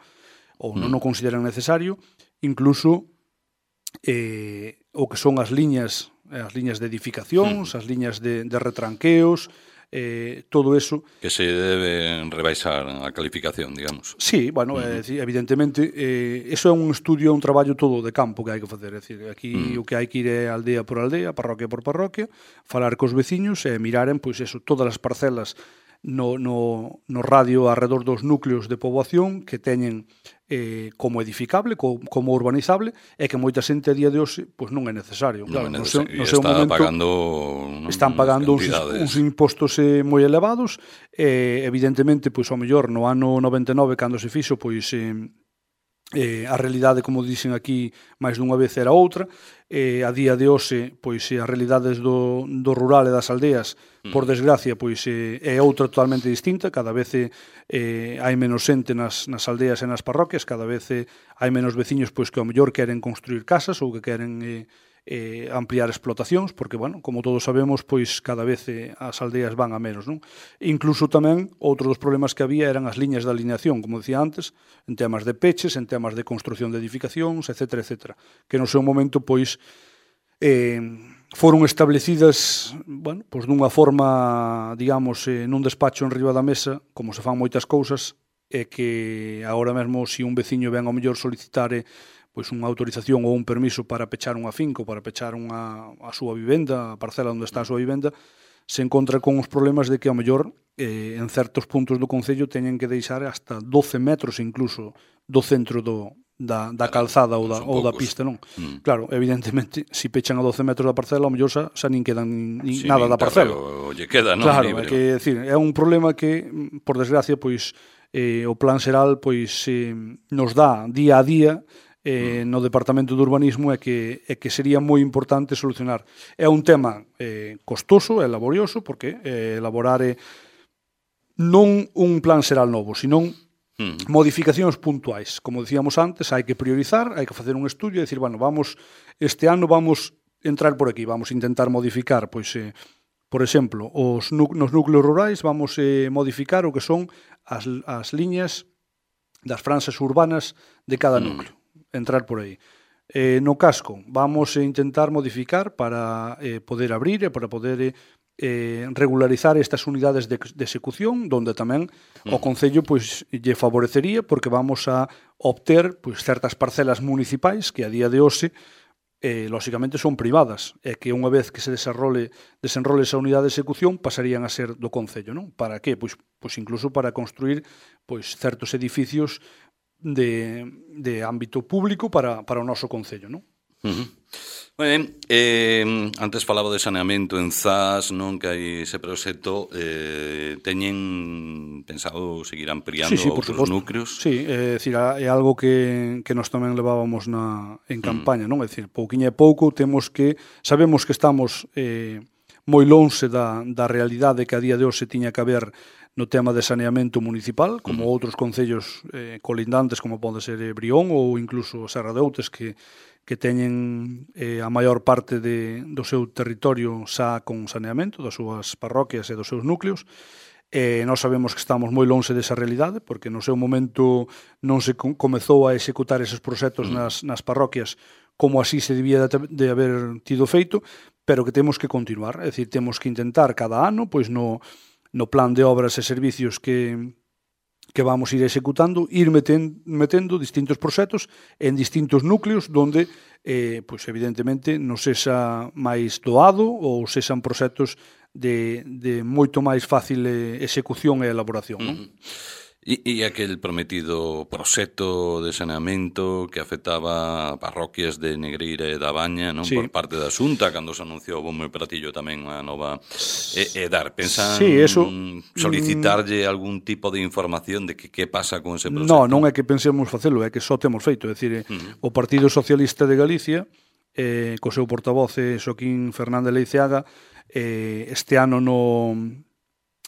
ou non o consideran necesario, incluso eh, o que son as liñas as liñas de edificacións, as liñas de, de retranqueos, eh, todo eso que se debe rebaixar a calificación, digamos. Sí, bueno, uh-huh. eh, evidentemente eh, eso é un estudio, un traballo todo de campo que hai que facer, é dicir, aquí uh-huh. o que hai que ir é aldea por aldea, parroquia por parroquia, falar cos veciños e miraren, pois eso, todas as parcelas no, no, no radio arredor dos núcleos de poboación que teñen eh, como edificable, co, como urbanizable, e que moita xente a día de hoxe pois non é necesario. Non claro, é necesario. No seu, no seu momento, pagando están pagando uns, uns impostos eh, moi elevados, e evidentemente, pois ao mellor no ano noventa e nove, cando se fixo, pois eh, eh, a realidade, como dixen aquí máis dunha vez, era outra. Eh, a día de hoxe, pois as realidades do, do rural e das aldeas, por desgracia, pois eh, é outra totalmente distinta. Cada vez eh, hai menos xente nas, nas aldeas e nas parroquias, cada vez eh, hai menos veciños pois que ao mellor queren construir casas ou que queren eh, eh, ampliar explotacións, porque, bueno, como todos sabemos, pois cada vez eh, as aldeas van a menos, non? Incluso tamén, outro dos problemas que había eran as liñas de alineación, como decía antes, en temas de peches, en temas de construción de edificacións, etcétera, etcétera, que no seu momento, pois, eh, foron establecidas, bueno, pois dunha forma, digamos, eh, nun despacho en riba da mesa, como se fan moitas cousas, e que agora mesmo, se un veciño ven ao mellor solicitar eh, pois unha autorización ou un permiso para pechar unha finca ou para pechar unha, a súa vivenda, a parcela onde está a súa vivenda, se encontra con os problemas de que ao mellor eh, en certos puntos do Concello teñen que deixar hasta doce metros incluso do centro do, da, da calzada ou da, ou da pista, non? Mm. Claro, evidentemente, se si pechan a doce metros da parcela, ao mellor xa, xa nin quedan nin, sí, nada nin da parcela. O lle queda, non? Claro, Libre. É, que, é, decir, é un problema que, por desgracia, pois eh, o plan xeral pois eh, nos dá día a día eh, no Departamento de Urbanismo é que, é que sería moi importante solucionar. É un tema eh, costoso e laborioso, porque eh, elaborar eh, non un plan xeral novo, senón mm. modificacións puntuais. Como decíamos antes, hai que priorizar, hai que facer un estudio e dicir, bueno, vamos, este ano vamos entrar por aquí, vamos intentar modificar, pois, eh, por exemplo, os nos núcleos rurais, vamos eh, modificar o que son as, as liñas das franxas urbanas de cada núcleo. Mm. Entrar por aí. eh, no casco vamos a intentar modificar para eh, poder abrir e para poder eh, regularizar estas unidades de, de execución, donde tamén o Concello pois, lle favorecería porque vamos a obter pois, certas parcelas municipais que a día de hoxe eh, lóxicamente son privadas e que unha vez que se desenrole, desenrole esa unidade de execución pasarían a ser do Concello, non? Para que? Pois, pois incluso para construir pois, certos edificios de, de ámbito público para, para o noso Concello, non? Uh-huh. Moi ben, eh, antes falaba de saneamento en Zas, non, que hai ese proxecto, eh, teñen pensado seguir ampliando sí, sí, por outros suposto. núcleos? Sí, é dicir, é algo que, que nós tamén levábamos na, en campaña, non? É dicir, pouquiña e pouco temos que, sabemos que estamos eh, moi lonxe da, da realidade que a día de hoxe tiña que haber no tema de saneamento municipal, como uh-huh. outros concellos eh, colindantes, como pode ser eh, Brión ou incluso Serra de Outes, que que teñen eh, a maior parte de, do seu territorio xa con saneamento, das súas parroquias e dos seus núcleos. Eh, nós sabemos que estamos moi lonxe desa realidade, porque no seu momento non se comezou a executar eses proxectos nas, nas parroquias como así se debía de, de haber tido feito, pero que temos que continuar. É dicir, temos que intentar cada ano, pois no, no plan de obras e servicios que que vamos ir executando, ir meten, metendo distintos proxectos en distintos núcleos donde, eh, pois evidentemente, non sexa máis doado ou sexan proxectos de, de moito máis fácil execución e elaboración. Non? Uh-huh. E, e aquel prometido proxecto de saneamento que afectaba a parroquias de Negreira e da Baña, non? Sí. Por parte da Xunta, cando se anunciou bombo e platillo tamén a nova e, e dar, pensan sí, eso, solicitarlle mm, algún tipo de información de que que pasa con ese proxecto? No, non é que pensemos facelo, é que só temos feito, é dicir, uh-huh. o Partido Socialista de Galicia, eh, co seu portavoz Xoaquín Fernández Leiceaga, eh, este ano no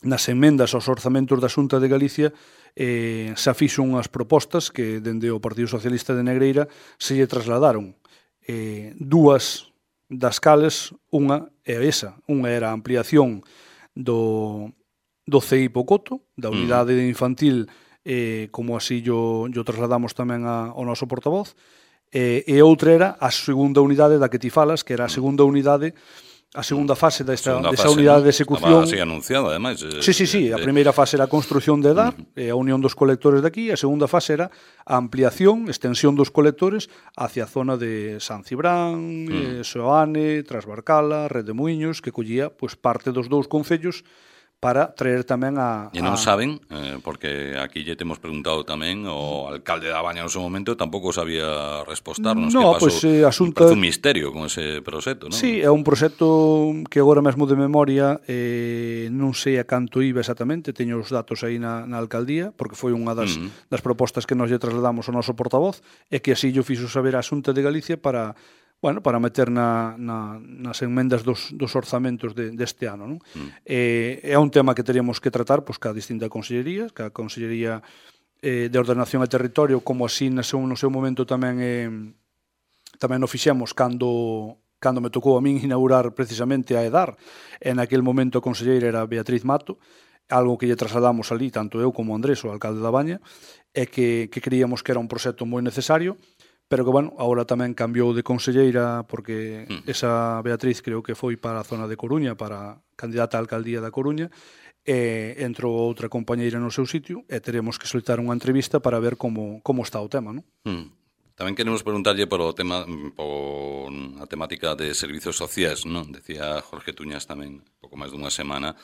nas emendas aos orzamentos da Xunta de Galicia eh, xa fixo unhas propostas que dende o Partido Socialista de Negreira se lle trasladaron. Eh, dúas das cales, unha é esa, unha era a ampliación do, do C I Pocoto, da unidade mm. infantil, eh, como así yo, yo trasladamos tamén a, ao noso portavoz, eh, e outra era a segunda unidade da que ti falas, que era a segunda unidade a segunda fase desta, segunda desa fase, unidade, ¿no?, de execución. Estaba así anunciada, ademais. Eh, sí, sí, sí. A primeira fase era a construción de EDAR, uh-huh. e a unión dos colectores de aquí, a segunda fase era a ampliación, extensión dos colectores hacia a zona de San Cibrán, uh-huh. eh, Soane, Trasbarcala, Red de Muiños, que collía pues, parte dos dous concellos para traer tamén a... E non a... saben, eh, porque aquí lle temos preguntado tamén, o alcalde da Baña no seu momento tampouco sabía respostarnos, no, que pasou, pues, eh, asunta... un misterio con ese proxecto, non? Sí, é un proxecto que agora mesmo de memoria eh, non sei a canto iba exactamente, teño os datos aí na, na alcaldía, porque foi unha das, uh-huh. das propostas que nos lle trasladamos ao noso portavoz, e que así yo fixo saber a Xunta de Galicia para... bueno, para meter na, na, nas enmendas dos, dos orzamentos de, deste ano. Non? Mm. Eh, é un tema que teríamos que tratar pois, ca distinta consellería, ca Consellería eh, de Ordenación e Territorio, como así no seu, no seu momento tamén eh, tamén o fixemos cando, cando me tocou a min inaugurar precisamente a EDAR, e naquel momento a conselleira era Beatriz Mato, algo que lle trasladamos ali, tanto eu como Andrés, o alcalde da Baña, e que, que creíamos que era un proxecto moi necesario, pero que, bueno, agora tamén cambiou de conselleira porque mm. esa Beatriz creo que foi para a zona de Coruña, para candidata á alcaldía da Coruña, e entrou outra compañeira no seu sitio e teremos que soltar unha entrevista para ver como, como está o tema, non? Mm. Tamén queremos preguntarlle por o tema, por a temática de servizos sociais, non? Decía Jorge Tuñas tamén, pouco máis dunha semana,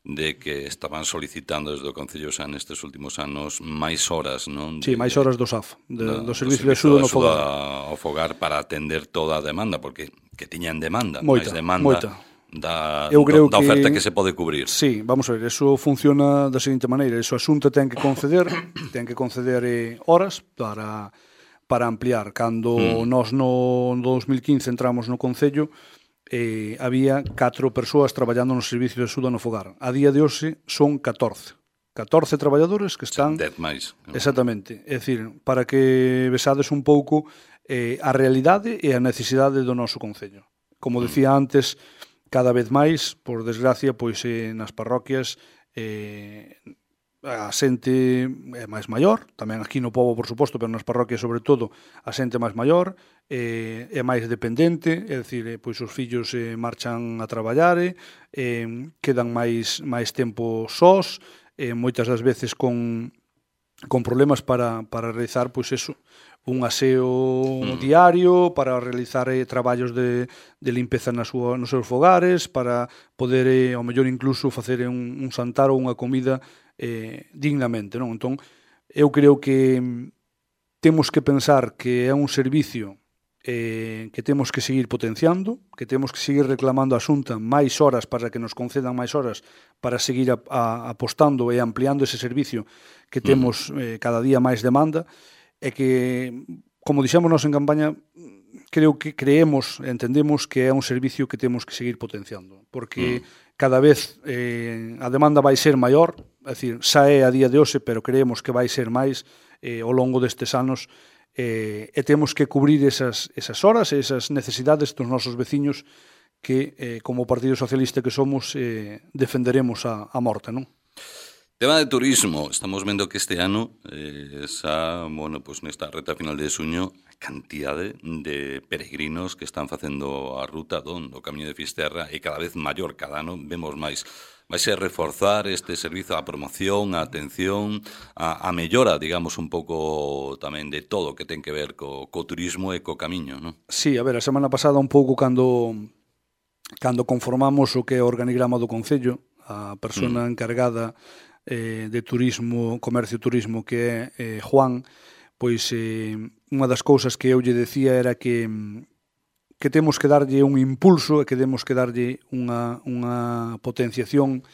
de que estaban solicitando desde o Concello xa nestes últimos anos máis horas, non? Sí, máis horas do S A F, de, do, do Servicio de Axuda no Fogar. ao fogar para atender toda a demanda, porque que tiñan demanda, moita, máis demanda moita. Da, Eu creo da oferta que, que se pode cubrir. Sí, vamos a ver, eso funciona da seguinte maneira, eso a Xunta ten que conceder, ten que conceder eh, horas para, para ampliar. Cando mm. nós no dos mil quince entramos no Concello, Eh, había catro persoas traballando no servicio de axuda no fogar. A día de hoxe son catorce. catorce traballadores que están... dez máis. Exactamente. É dicir, para que besades un pouco eh, a realidade e a necesidade do noso Concello. Como decía antes, cada vez máis, por desgracia, pois eh, nas parroquias eh, a xente é máis maior, tamén aquí no pobo, por suposto, pero nas parroquias, sobre todo, a xente máis maior, eh, é máis dependente, é dicir, eh, pois os fillos eh, marchan a traballar, eh, quedan máis, máis tempo sós, eh, moitas das veces con, con problemas para, para realizar, pois eso, un aseo mm. diario, para realizar eh, traballos de, de limpeza na súa, nos seus fogares, para poder, eh, ao mellor, incluso facer un, un santar ou unha comida eh, dignamente, non? Entón, eu creo que temos que pensar que é un servicio eh, que temos que seguir potenciando, que temos que seguir reclamando a Xunta máis horas para que nos concedan máis horas para seguir a, a, apostando e ampliando ese servicio que temos eh, cada día máis demanda, e que, como dixemos nós en campaña, creo que creemos, entendemos que é un servicio que temos que seguir potenciando, porque mm. cada vez eh, a demanda vai ser maior, é dicir, xa é a día de hoxe, pero creemos que vai ser máis eh, ao longo destes anos, eh, e temos que cubrir esas, esas horas e esas necesidades dos nosos veciños que, eh, como Partido Socialista que somos, eh, defenderemos a, a morte, non? Tema de turismo, estamos vendo que este ano eh, xa, bueno, pues nesta reta final de suño, a cantidade de peregrinos que están facendo a ruta do, do Camiño de Fisterra e cada vez maior, cada ano vemos máis. Vai ser reforzar este servizo, a promoción, a atención, a, a mellora, digamos, un pouco tamén de todo que ten que ver co, co turismo e co camiño, non? Sí, a ver, a semana pasada un pouco cando cando conformamos o que é o organigrama do Concello, a persona mm. encargada eh, de turismo, comercio e turismo, que é eh, Juan, pois eh, unha das cousas que eu lle decía era que que temos que darlle un impulso e que temos que darlle unha, unha potenciación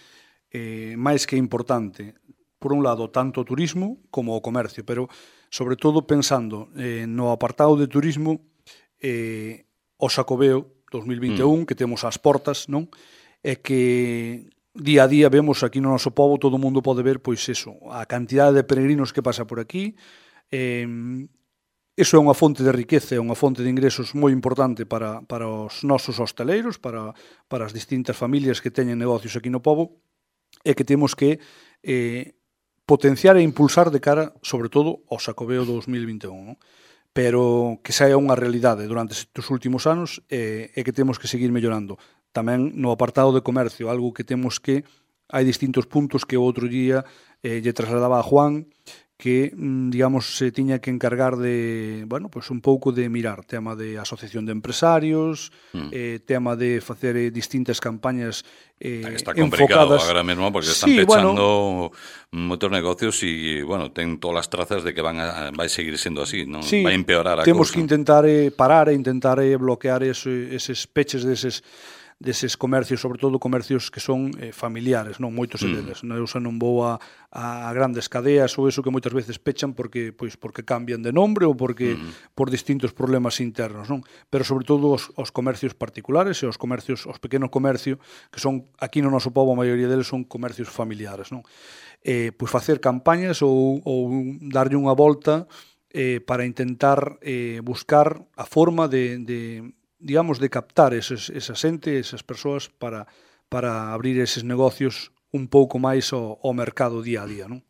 eh, máis que importante. Por un lado, tanto o turismo como o comercio, pero sobre todo pensando eh, no apartado de turismo, eh, o Xacobeo dos mil vinte e un, mm. que temos ás portas, non? É que día a día vemos aquí no noso pobo, todo o mundo pode ver, pois eso, a cantidade de peregrinos que pasa por aquí. Eh, iso é unha fonte de riqueza, é unha fonte de ingresos moi importante para, para os nosos hosteleiros, para, para as distintas familias que teñen negocios aquí no pobo, e que temos que eh, potenciar e impulsar de cara, sobre todo, ao Xacobeo dos mil vinte e un, non? Pero que xa é unha realidade durante estes últimos anos e, e que temos que seguir mellorando. Tamén no apartado de comercio, algo que temos que, hai distintos puntos que o outro día eh, lle trasladaba a Juan, que, digamos, se tiña que encargar de, bueno, pues un pouco de mirar tema de asociación de empresarios, mm. eh, tema de facer eh, distintas campañas eh, está complicado enfocadas. Agora mesmo porque están sí, pechando bueno, moitos negocios e, bueno, ten todas as trazas de que van a, vai seguir sendo así, non sí, vai empeorar a temos cousa. Que intentar eh, parar e intentar eh, bloquear ese, eses peches deses deses comercios, sobre todo comercios que son eh, familiares, non moitos mm. deles. Eu xa non vou a, a grandes cadeas ou eso que moitas veces pechan porque pois porque cambian de nombre ou porque mm. por distintos problemas internos, non? Pero sobre todo os, os comercios particulares e os comercios, os pequenos comercios que son aquí no noso pobo, a maioría deles son comercios familiares, non? Eh, pois facer campañas ou, ou darlle unha volta eh, para intentar eh, buscar a forma de, de digamos, de captar eses, esa xente, esas persoas para, para abrir eses negocios un pouco máis ao, ao mercado día a día, non?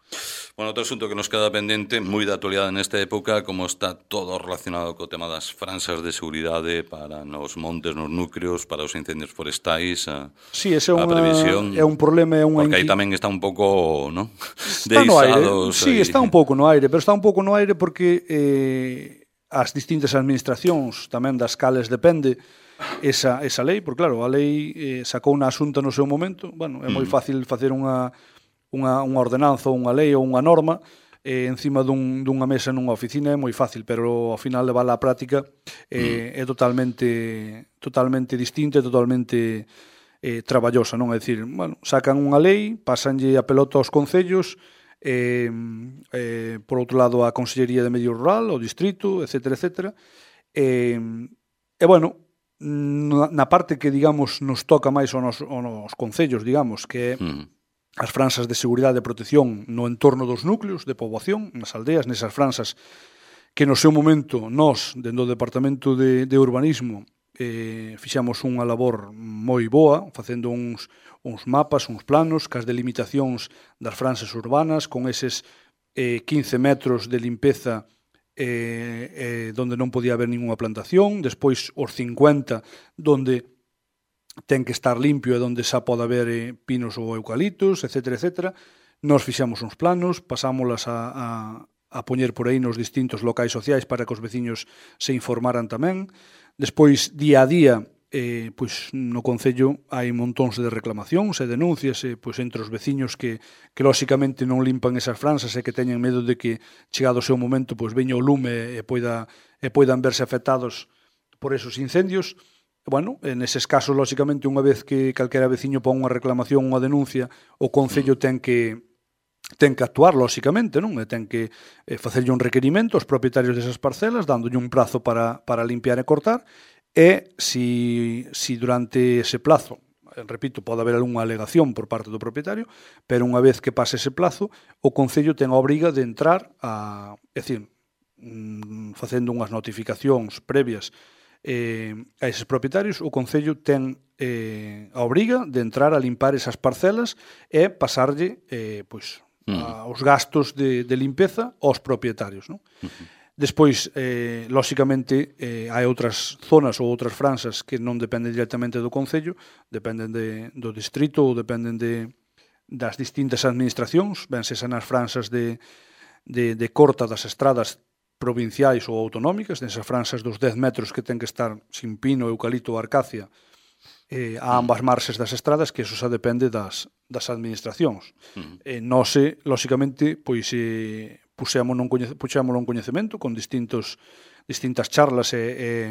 Bueno, outro asunto que nos queda pendente, moi de actualidade nesta época, como está todo relacionado co tema das franxas de seguridade para nos montes, nos núcleos, para os incendios forestais, a, sí, ese é a unha, previsión. É un problema, é unha porque aí tamén está un pouco, ¿no? Está no aire, sí, está un pouco no aire, pero está un pouco no aire porque eh, as distintas administracións, tamén das cales depende esa, esa lei, porque claro, a lei eh, sacou unha asunta no seu momento, bueno, é moi fácil facer unha, unha, unha ordenanza ou unha lei ou unha norma eh, encima dun, dunha mesa nunha oficina, é moi fácil, pero ao final levar a práctica eh, mm. é totalmente totalmente distinta, totalmente eh, traballosa, non? É dicir, bueno, sacan unha lei, pasanlle a pelota aos concellos. Eh, eh, por outro lado a Consellería de Medio Rural, o Distrito, etcétera, etcétera. E, e bueno, na, na parte que, digamos, nos toca máis aos, aos concellos, digamos, que é mm. as franxas de seguridade e protección no entorno dos núcleos de poboación, nas aldeas, nesas franxas que no seu momento nós, dentro do Departamento de, de Urbanismo, eh, fixemos unha labor moi boa, facendo uns, uns mapas, uns planos, cas delimitacións das franxas urbanas, con eses eh, quince metros de limpeza eh, eh, donde non podía haber ninguna plantación, despois os cincuenta donde ten que estar limpio e donde xa pode haber eh, pinos ou eucaliptos, etcétera, etcétera. Nos fixemos uns planos, pasámolas a, a, a poñer por aí nos distintos locais sociais para que os veciños se informaran tamén. Despois, día a día, eh, pois, no Concello hai montóns de reclamacións e denuncias eh, pois, entre os veciños que, que lóxicamente non limpan esas franxas e que teñen medo de que, chegado o seu momento, pois, veña o lume e, poida, e poidan verse afectados por esos incendios. Bueno, en eses casos, lóxicamente, unha vez que calquera veciño pon unha reclamación, unha denuncia, o Concello ten que ten que actuar, lóxicamente, non? E ten que eh, facerlle un requerimento aos propietarios desas parcelas, dándolle un prazo para, para limpiar e cortar, e si, si durante ese plazo, repito, pode haber algunha alegación por parte do propietario, pero unha vez que pase ese plazo, o Concello ten a obriga de entrar a, é dicir, facendo unhas notificacións previas eh, a eses propietarios, o Concello ten eh, a obriga de entrar a limpar esas parcelas e pasarlle eh, pois, a, os gastos de, de limpeza aos propietarios, non? Uh-huh. Despois, eh, lóxicamente, eh, hai outras zonas ou outras franxas que non dependen directamente do Concello, dependen de, do distrito ou dependen de, das distintas administracións, ben se nas franxas de, de, de corta das estradas provinciais ou autonómicas, nesas franxas dos dez metros que ten que estar sin pino, eucalipto ou arcacia, eh, a ambas marxes das estradas, que eso xa depende das, das administracións. Uh-huh. Eh, nós, lóxicamente, pois... Eh, puxémolo un, coñece, puxémolo un coñecemento con distintos, distintas charlas e, e,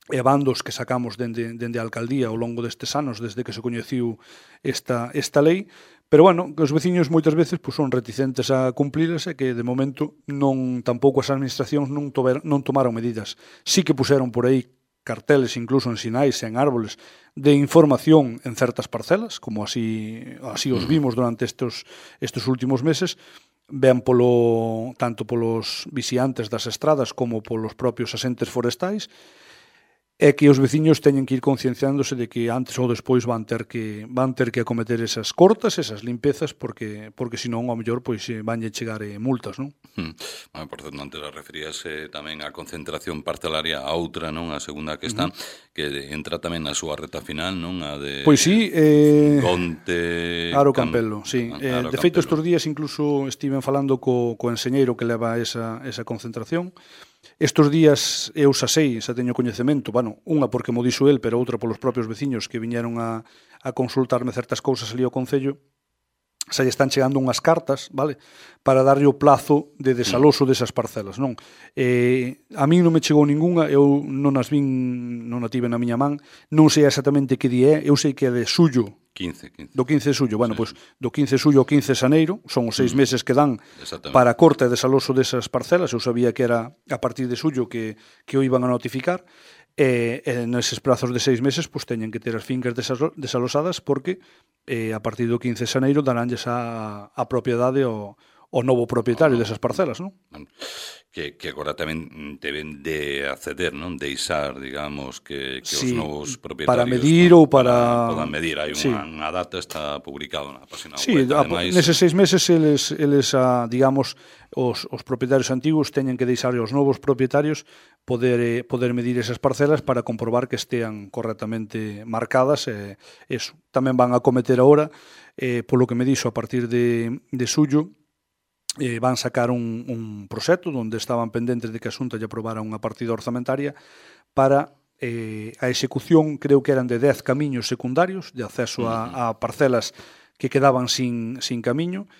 e bandos que sacamos dende, dende a alcaldía ao longo destes anos, desde que se coñeciu esta, esta lei, pero, bueno, que os veciños moitas veces pues, son reticentes a cumprilas e que, de momento, non tampouco as administracións non, tober, non tomaron medidas. Sí que puxeron por aí carteles, incluso en sinais e en árboles, de información en certas parcelas, como así, así os vimos durante estes, estes últimos meses, ben polo, tanto polos vixiantes das estradas como polos propios asentes forestais, é que os veciños teñen que ir concienciándose de que antes ou despois van ter que van ter que acometer esas cortas, esas limpezas, porque porque senón ao mellor pois vanlle chegar eh, multas, non? Hmm. Bueno, por certo, antes referías eh, tamén á concentración parcelaria, a outra, non? A segunda que está, uh-huh. que entra tamén na súa reta final, non? A de Pois sí, eh Conte, Aro Campelo, sí. Eh, Aro de feito, Campelo. estes días incluso estiven falando co, co enseñeiro que leva esa, esa concentración. Estes días eu xa sei, xa teño coñecemento, bueno, unha porque mo dixo el, pero outra polos propios veciños que viñeron a, a consultarme certas cousas ali ao Concello, xa lle están chegando unhas cartas, vale, para darlle o plazo de desaloso desas parcelas, non? Eh, a min non me chegou ninguna, eu non as vin, non a tive na miña man, non sei exactamente que día é, eu sei que é de xullo, quince, quince. Do quince de xullo, bueno, sí. pois do quince de xullo ao quince de xaneiro, son os seis mm. meses que dan para a corta e desaloso desas parcelas. Eu sabía que era a partir de xullo que, que o iban a notificar, e, e neses prazos de seis meses pois teñen que ter as fincas desalosadas porque eh, a partir do quince de xaneiro daránlles a, a propiedade ao, ao novo propietario oh, desas parcelas, non? Bueno, que, que agora tamén deben de acceder, non? Deixar, digamos, que, que sí, os novos propietarios para medir non? ou para... Podan medir. Hai sí. unha, unha data, está publicado na página sí, web. Ademais, neses seis meses eles, eles a, digamos, os, os propietarios antigos teñen que deixar aos novos propietarios poder, eh, poder medir esas parcelas para comprobar que estean correctamente marcadas. E eso. Tamén van a cometer agora, eh, polo que me dixo, a partir de, de xullo, eh, van sacar un, un proxecto onde estaban pendentes de que a Xunta lle aprobara unha partida orzamentaria para eh, a execución, creo que eran de dez camiños secundarios de acceso a, a parcelas que quedaban sin, sin camiño,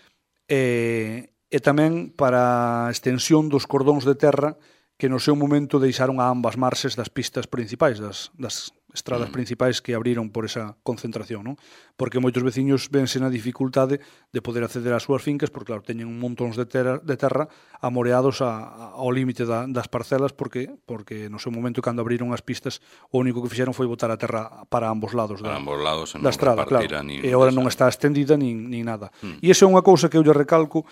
e, e tamén para a extensión dos cordóns de terra que no seu momento deixaron a ambas marxes das pistas principais, das, das estradas mm. principais que abriron por esa concentración, non? Porque moitos veciños vense na dificultade de poder acceder ás súas fincas, porque, claro, teñen un montóns de terra, de terra amoreados a, a, ao límite da, das parcelas, porque porque no seu momento, cando abriron as pistas, o único que fixeron foi botar a terra para ambos lados da, ambos lados, da estrada, claro. E agora non está estendida nin, nin nada. Mm. E iso é unha cousa que eu lle recalco,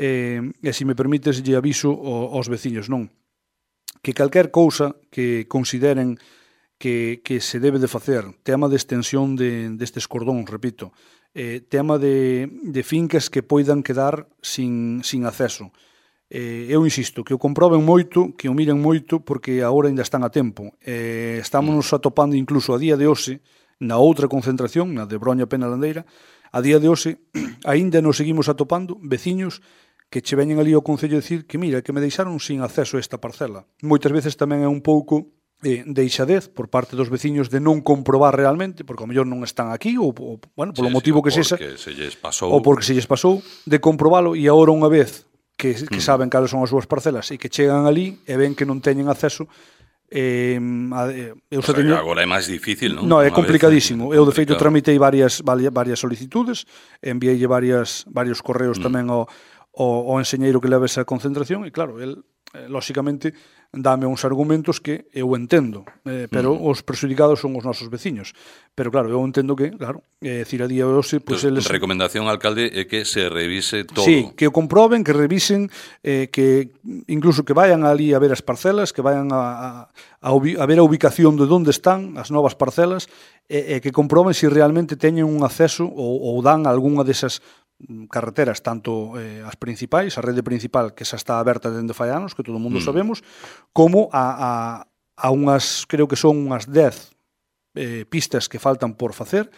eh, e se me permites, lle aviso aos veciños, non? Que calquer cousa que consideren que, que se debe de facer, tema de extensión de, destes cordóns, repito, eh, tema de, de fincas que poidan quedar sin, sin acceso. Eh, eu insisto, que o comproben moito, que o miren moito, porque agora ainda están a tempo. Eh, estamos atopando incluso a día de hoxe, na outra concentración, na de Broña Penalandeira, a día de hoxe, aínda nos seguimos atopando veciños que che veñen ali ao Concello dicir que mira, que me deixaron sin acceso a esta parcela. Moitas veces tamén é un pouco eh, deixadez por parte dos veciños de non comprobar realmente, porque ao mellor non están aquí, ou, ou bueno, polo sí, motivo sí, que sexa, se lles pasou, ou porque se lles pasou, de comprobalo, e agora unha vez que, que mm. saben cales son as súas parcelas e que chegan ali e ven que non teñen acceso, Eh, eu o sea, teño... agora é máis difícil, non? No, é complicadísimo. Vez, eu, de feito, tramitei varias, varias solicitudes, enviei varias, varios correos mm. tamén ao, ao, ao enseñeiro que leva esa concentración, e claro, el, eh, lóxicamente, dame uns argumentos que eu entendo, eh, pero mm. os prejudicados son os nosos veciños. Pero claro, eu entendo que, claro, é dicir, a día de hoxe... Pues, eles... Recomendación, alcalde, é que se revise todo. Sí, que o comproben, que revisen, eh, que incluso que vayan ali a ver as parcelas, que vayan a, a, a, ubi, a ver a ubicación de onde están as novas parcelas, e, e que comproben se si realmente teñen un acceso ou, ou dan algunha desas carreteras, tanto eh, as principais, a rede principal que xa está aberta dende fai anos, que todo o mundo mm. sabemos, como a, a, a unhas, creo que son unhas dez eh, pistas que faltan por facer,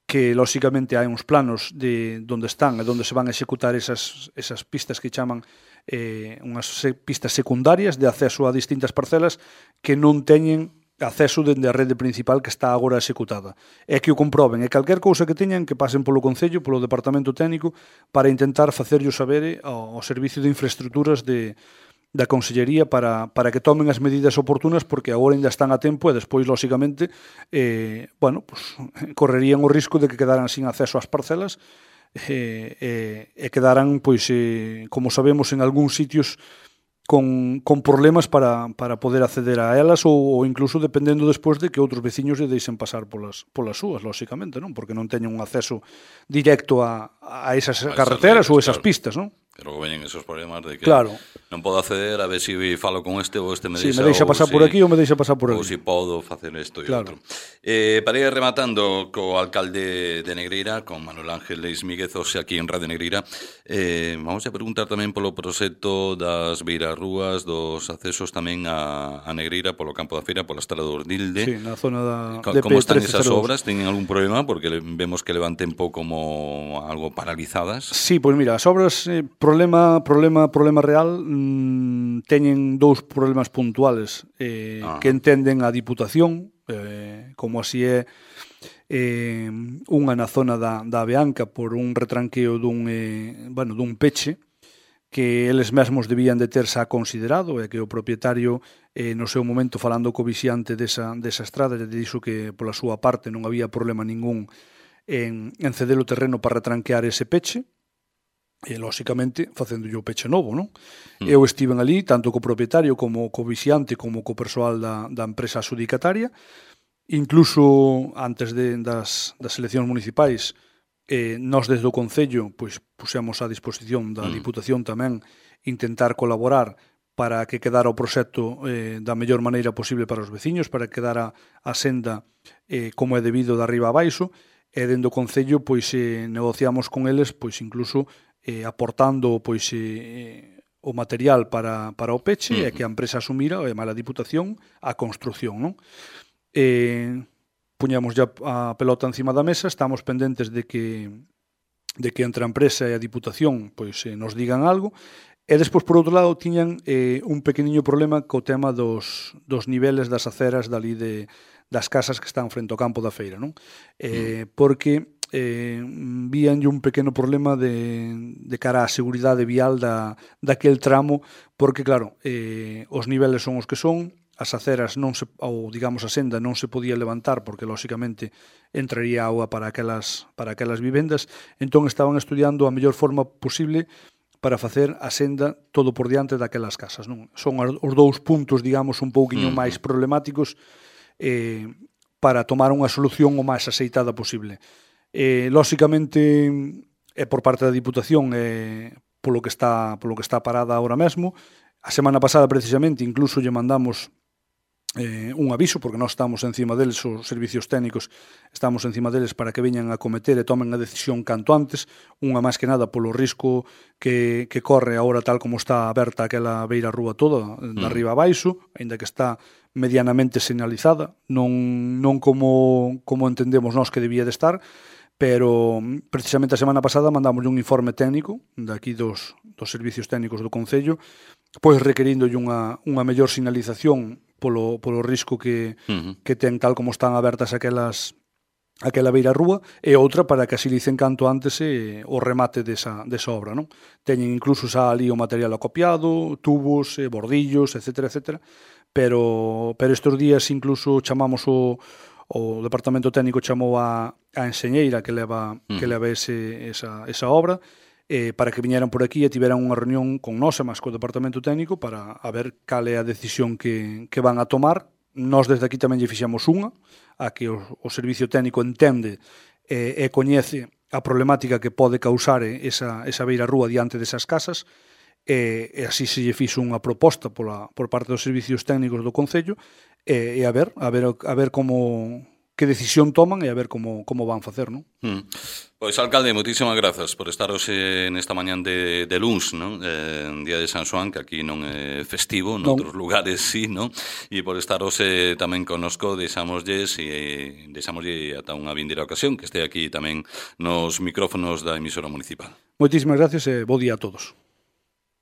que lóxicamente hai uns planos de onde están e onde se van a executar esas, esas pistas que chaman eh, unhas pistas secundarias de acceso a distintas parcelas que non teñen acceso dende a rede principal que está agora executada. É que o comproben, e calquer cousa que teñan que pasen polo Concello, polo Departamento Técnico, para intentar facerllo saber ao, ao Servicio de Infraestructuras de, da Consellería para, para que tomen as medidas oportunas, porque agora ainda están a tempo e despois, lóxicamente, eh, bueno, pues, correrían o risco de que quedaran sin acceso ás parcelas e, e, e quedaran, pois, eh, como sabemos, en algúns sitios con, con problemas para, para poder acceder a elas ou, ou incluso dependendo despois de que outros veciños lle deixen pasar polas, polas súas, lóxicamente, non? Porque non teñen un acceso directo a, a esas a carreteras ou esas claro. pistas, non? Pero que veñen esos problemas de que claro. non podo acceder, a ver se si falo con este ou este me deixa, sí, me deixa pasar si, por aquí ou me deixa pasar por ali. Ou se si podo facer isto e claro. outro. Eh, para ir rematando co alcalde de Negreira, con Manuel Ángel Leis Míguez, aquí en Radio Negreira, eh, vamos a preguntar tamén polo proxecto das beirarrúas, dos accesos tamén a, a Negreira, polo campo da feira, pola estrada do Ordilde. Sí, na zona da Como están esas obras? Teñen algún problema? Porque vemos que levan tempo como algo paralizadas. Sí, pois pues mira, as obras, eh, problema, problema, problema real, mmm, teñen dous problemas puntuales eh, que entenden a Diputación, eh, como así é eh, unha na zona da, da Beanca por un retranqueo dun, eh, bueno, dun peche que eles mesmos debían de ter xa considerado e que o propietario eh, no seu momento falando co vixiante desa, desa estrada lle dixo que pola súa parte non había problema ningún en, en ceder o terreno para retranquear ese peche e, lóxicamente, facéndolle o peche novo, non? Mm. Eu estiven ali, tanto co propietario como co vixiante como co persoal da, da empresa adxudicataria, incluso antes de, das, das eleccións municipais, eh, nós desde o Concello pois, pusemos á disposición da mm. Diputación tamén intentar colaborar para que quedara o proxecto eh, da mellor maneira posible para os veciños, para que quedara a senda eh, como é debido de arriba a baixo, e dentro do Concello pois eh, negociamos con eles pois incluso eh, aportando pois eh, o material para, para o peche mm. e que a empresa asumira, e mala Diputación, a construción, non? Eh, puñamos ya a pelota encima da mesa, estamos pendentes de que de que entre a empresa e a Diputación pois eh, nos digan algo, e despois por outro lado tiñan eh, un pequeniño problema co tema dos, dos niveles das aceras dali de, das casas que están frente ao campo da feira, non? Eh, mm. Porque eh, víanlle un pequeno problema de, de cara á seguridade vial da, daquel tramo, porque claro, eh, os niveles son os que son, as aceras non se, ou digamos a senda non se podía levantar porque lóxicamente entraría auga para aquelas, para aquelas vivendas, entón estaban estudiando a mellor forma posible para facer a senda todo por diante daquelas casas, non? Son os dous puntos, digamos, un pouquiño mm. máis problemáticos eh, para tomar unha solución o máis aceitada posible. Eh, lóxicamente, é por parte da Diputación eh, polo que está polo que está parada ahora mesmo. A semana pasada, precisamente, incluso lle mandamos eh, un aviso, porque nós estamos encima deles, os servicios técnicos estamos encima deles para que veñan a cometer e tomen a decisión canto antes, unha máis que nada polo risco que, que corre agora tal como está aberta aquela beira rúa toda, de Mm. arriba a baixo, aínda que está medianamente señalizada, non, non como, como entendemos nós que debía de estar, pero precisamente a semana pasada mandamos un informe técnico daqui dos, dos servicios técnicos do Concello, pois requerindolle unha, unha mellor sinalización polo, polo risco que, Uh-huh. que ten tal como están abertas aquelas aquela beira rúa, e outra para que asilicen canto antes eh, o remate desa, desa obra, non? Teñen incluso xa ali o material acopiado, tubos, eh, bordillos, etcétera, etcétera, pero, pero estes días incluso chamamos o, o Departamento Técnico chamou a, a enxeñeira que leva, uh-huh. que leva ese, esa, esa obra, eh, para que viñeran por aquí e tiveran unha reunión con nós e máis co Departamento Técnico para a ver cal é a decisión que, que van a tomar. Nós desde aquí tamén lle fixemos unha, a que o, o servicio técnico entende e, e coñece a problemática que pode causar esa, esa beira rúa diante desas casas, e, e así se lle fixo unha proposta pola, por parte dos servicios técnicos do Concello, e, e a ver, a ver, a ver como que decisión toman e a ver como, como van facer, non? Mm. Pois, alcalde, moitísimas grazas por estar hoxe nesta mañán de, de luns, non? Eh, día de San Xoán, que aquí non é festivo, noutros lugares sí, non? E por estar hoxe tamén connosco, deixámoslles e deixámoslle ata unha vindeira ocasión que este aquí tamén nos micrófonos da emisora municipal. Moitísimas gracias e bo día a todos.